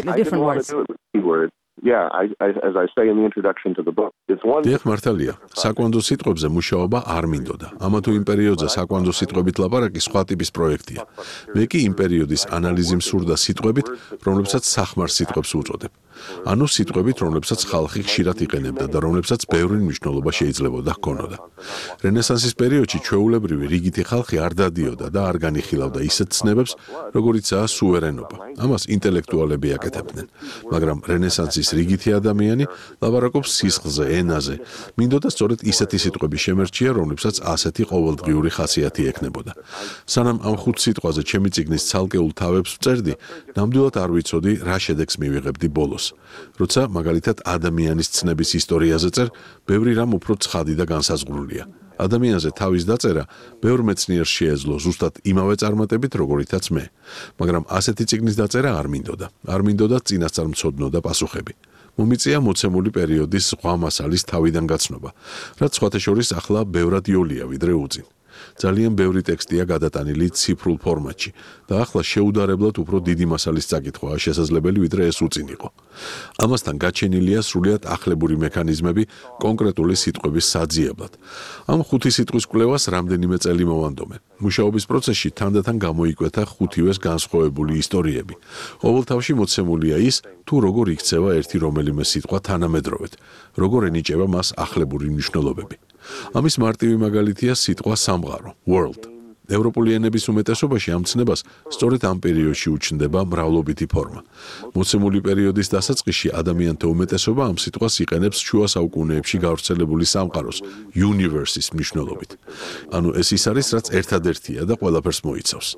დიახ, მართალია. საკვანძო სიტყვებზე მუშაობა არ მინდოდა. ამა თუ იმ პერიოდზე საკვანძო სიტყვებით ლაპარაკი სხვა ტიპის პროექტია. მე კი იმ პერიოდის ანალიზი მსურდა სიტყვებით, რომლებსაც სახმარ სიტყვებს უწოდებ. ანუ სიტყვებით, რომლებსაც ხალხი ხშირად იყენებდა და რომლებსაც ბევრი მნიშვნელობა შეიძლებოდა ჰქონოდა. რენესანსის პერიოდში ჩვეულებრივი რიგითი ხალხი არ დადიოდა და არ განიხილავდა ისეთ ცნებებს, როგორიცაა სუვერენობა. ამას ინტელექტუალები აკეთებდნენ. მაგრამ რენესანსის რიგითი ადამიანი ლაპარაკობს სისხლზე, ენაზე. მინდოდა სწორედ ისეთი სიტყვები შემერჩია, რომლებსაც ასეთი ყოველდღიური ხასიათი ექნებოდა. სანამ ამ ხუთ სიტყვაზე ჩემი წიგნის ცალკეულ თავებს ვწერდი, ნამდვილად არ ვიცოდი, რა შედეგს მივიღებდი ბოლოს. როცა მაგალითად ადამიანის ცნების ისტორიაზე წერ, ბევრი რამ უფრო ცხადი და განსაზღვრულია. ადამიანზე თავის დაწერა ბევრ მეცნიერს შეეძლო ზუსტად იმავე წარმატებით, როგორითაც მე. მაგრამ ასეთი წიგნის დაწერა არ მინდოდა. არ მინდოდა წინასწარმცოდნო და პასუხები. მომიწია მოცემული პერიოდის ზღვა მასალის თავიდან გაცნობა, რაც სხვათა შორის ახლა ბევრად იოლია ვიდრე უწინ. ძალიან ბევრი ტექსტია გადატანილი ციფრულ ფორმატში და ახლა შეუდარებლად უფრო დიდი მასალის წაკითხვაა შესაძლებელი ვიდრე ეს უწინ იყო. ამასთან გაჩენილია სრულიად ახლებური მექანიზმები კონკრეტული სიტყვების საძიებლად. ამ ხუთი სიტყვის კვლევას რამდენიმე წელი მოვანდომე. მუშაობის პროცესში თანდათან გამოიკვეთა ხუთივეს განსხვავებული ისტორიები. ყოველთავში მოცემულია ის, თუ როგორ იქცევა ერთი რომელიმე სიტყვა თანამედროვედ, როგორ ენიჭება მას ახლებური მნიშვნელობები. ამის მარტივი მაგალითია სიტყვა სამყარო, world. ევროპული ენების უმეტესობაში ამ ცნებას სწორედ ამ პერიოდში უჩნდება მრავლობითი ფორმა. მოცემული პერიოდის დასაწყისში ადამიანთა უმეტესობა ამ სიტყვას იყენებს შუა საუკუნეებში გავრცელებული სამყაროს, universe-ის მნიშვნელობით. ანუ ეს ის არის, რაც ერთადერთია და ყველაფერს მოიცავს.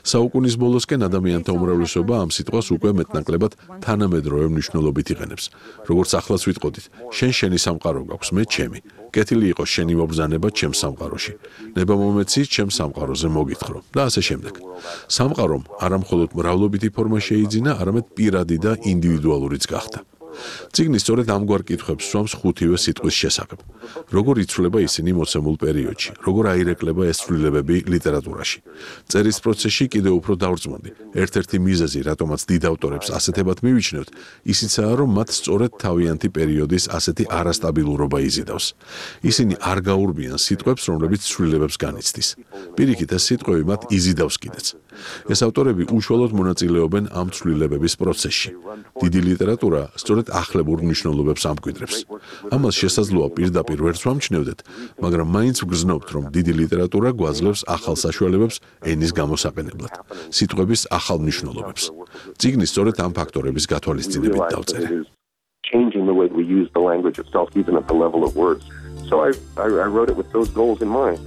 საუკუნის ბოლოსკენ ადამიანთა უმრავლესობა ამ სიტყვას უკვე მეტნაკლებად თანამედროვე მნიშვნელობით იყენებს. როგორც ახლაც ვიტყოდით, შენი სამყარო გაქვს, მე ჩემი. კეთილი იყოს შენი მობრძანება ჩემს სამყაროში. ნება მომეცი ჩემს სამყაროზე მოგითხრო და ასე შემდეგ. სამყარომ არა მხოლოდ მრავლობითი ფორმა შეიძინა, არამედ პირადი და ინდივიდუალურიც გახდა. წიგნი სწორედ ამგვარ კითხვებს სვამს ხუთივე სიტყვის შესახებ. როგორ იცვლება ისინი მოცემულ პერიოდში, როგორ აირეკლება ეს ცვლილებები ლიტერატურაში. წერის პროცესში კიდევ უფრო დავრწმუნდი. ერთ-ერთი მიზეზი, რატომაც დიდ ავტორებს ასეთებად მივიჩნევთ, ისიცაა, რომ მათ სწორედ თავიანთი პერიოდის ასეთი არასტაბილურობა იზიდავს. ისინი არ გაურბიან სიტყვებს, რომლებიც ცვლილებებს განიცდის. პირიქით, ეს სიტყვები მათ იზიდავს კიდეც. ეს ავტორები უშუალოდ მონაწილეობენ ამ ცვლილებების პროცესში. დიდი ლიტერატურა სწორედ ახლებურ მნიშვნელობებს ამკვიდრებს. ამას შესაძლოა პირდაპირ ვერც ვამჩნევდეთ, მაგრამ მაინც ვგრძნობთ, რომ დიდი ლიტერატურა გვაძლევს ახალ საშუალებებს ენის გამოსაყენებლად, სიტყვების ახალ მნიშვნელობებს. წიგნი სწორედ ამ ფაქტორების გათვალისწინებით დავწერე. Changing the way we use the language itself, even at the level of words. So I wrote it with those goals in mind.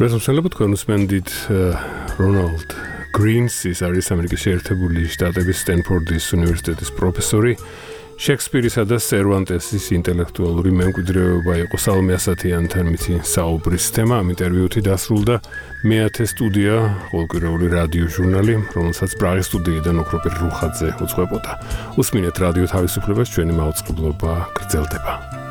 Resolution თქვენ უსმენდით Ronald Greens, ის არის ამერიკის შეერთებული შტატების სტენფორდის უნივერსიტეტის პროფესორი. შექსპირისა და სერვანტესის ინტელექტუალური მემკვიდრეობა იყო საომე ასათიანთან მითი საუბრის თემა. ამ ინტერვიუთი დასრულდა მეათე სტუდია, ყოველკვირეული რადიო ჟურნალი, რომელსაც პრაღის სტუდიიდან ოქროპირ რუხაძე უძღვებოდა. უსმინეთ რადიო თავისუფლებას, ჩვენი მაუწყებლობა გრძელდება.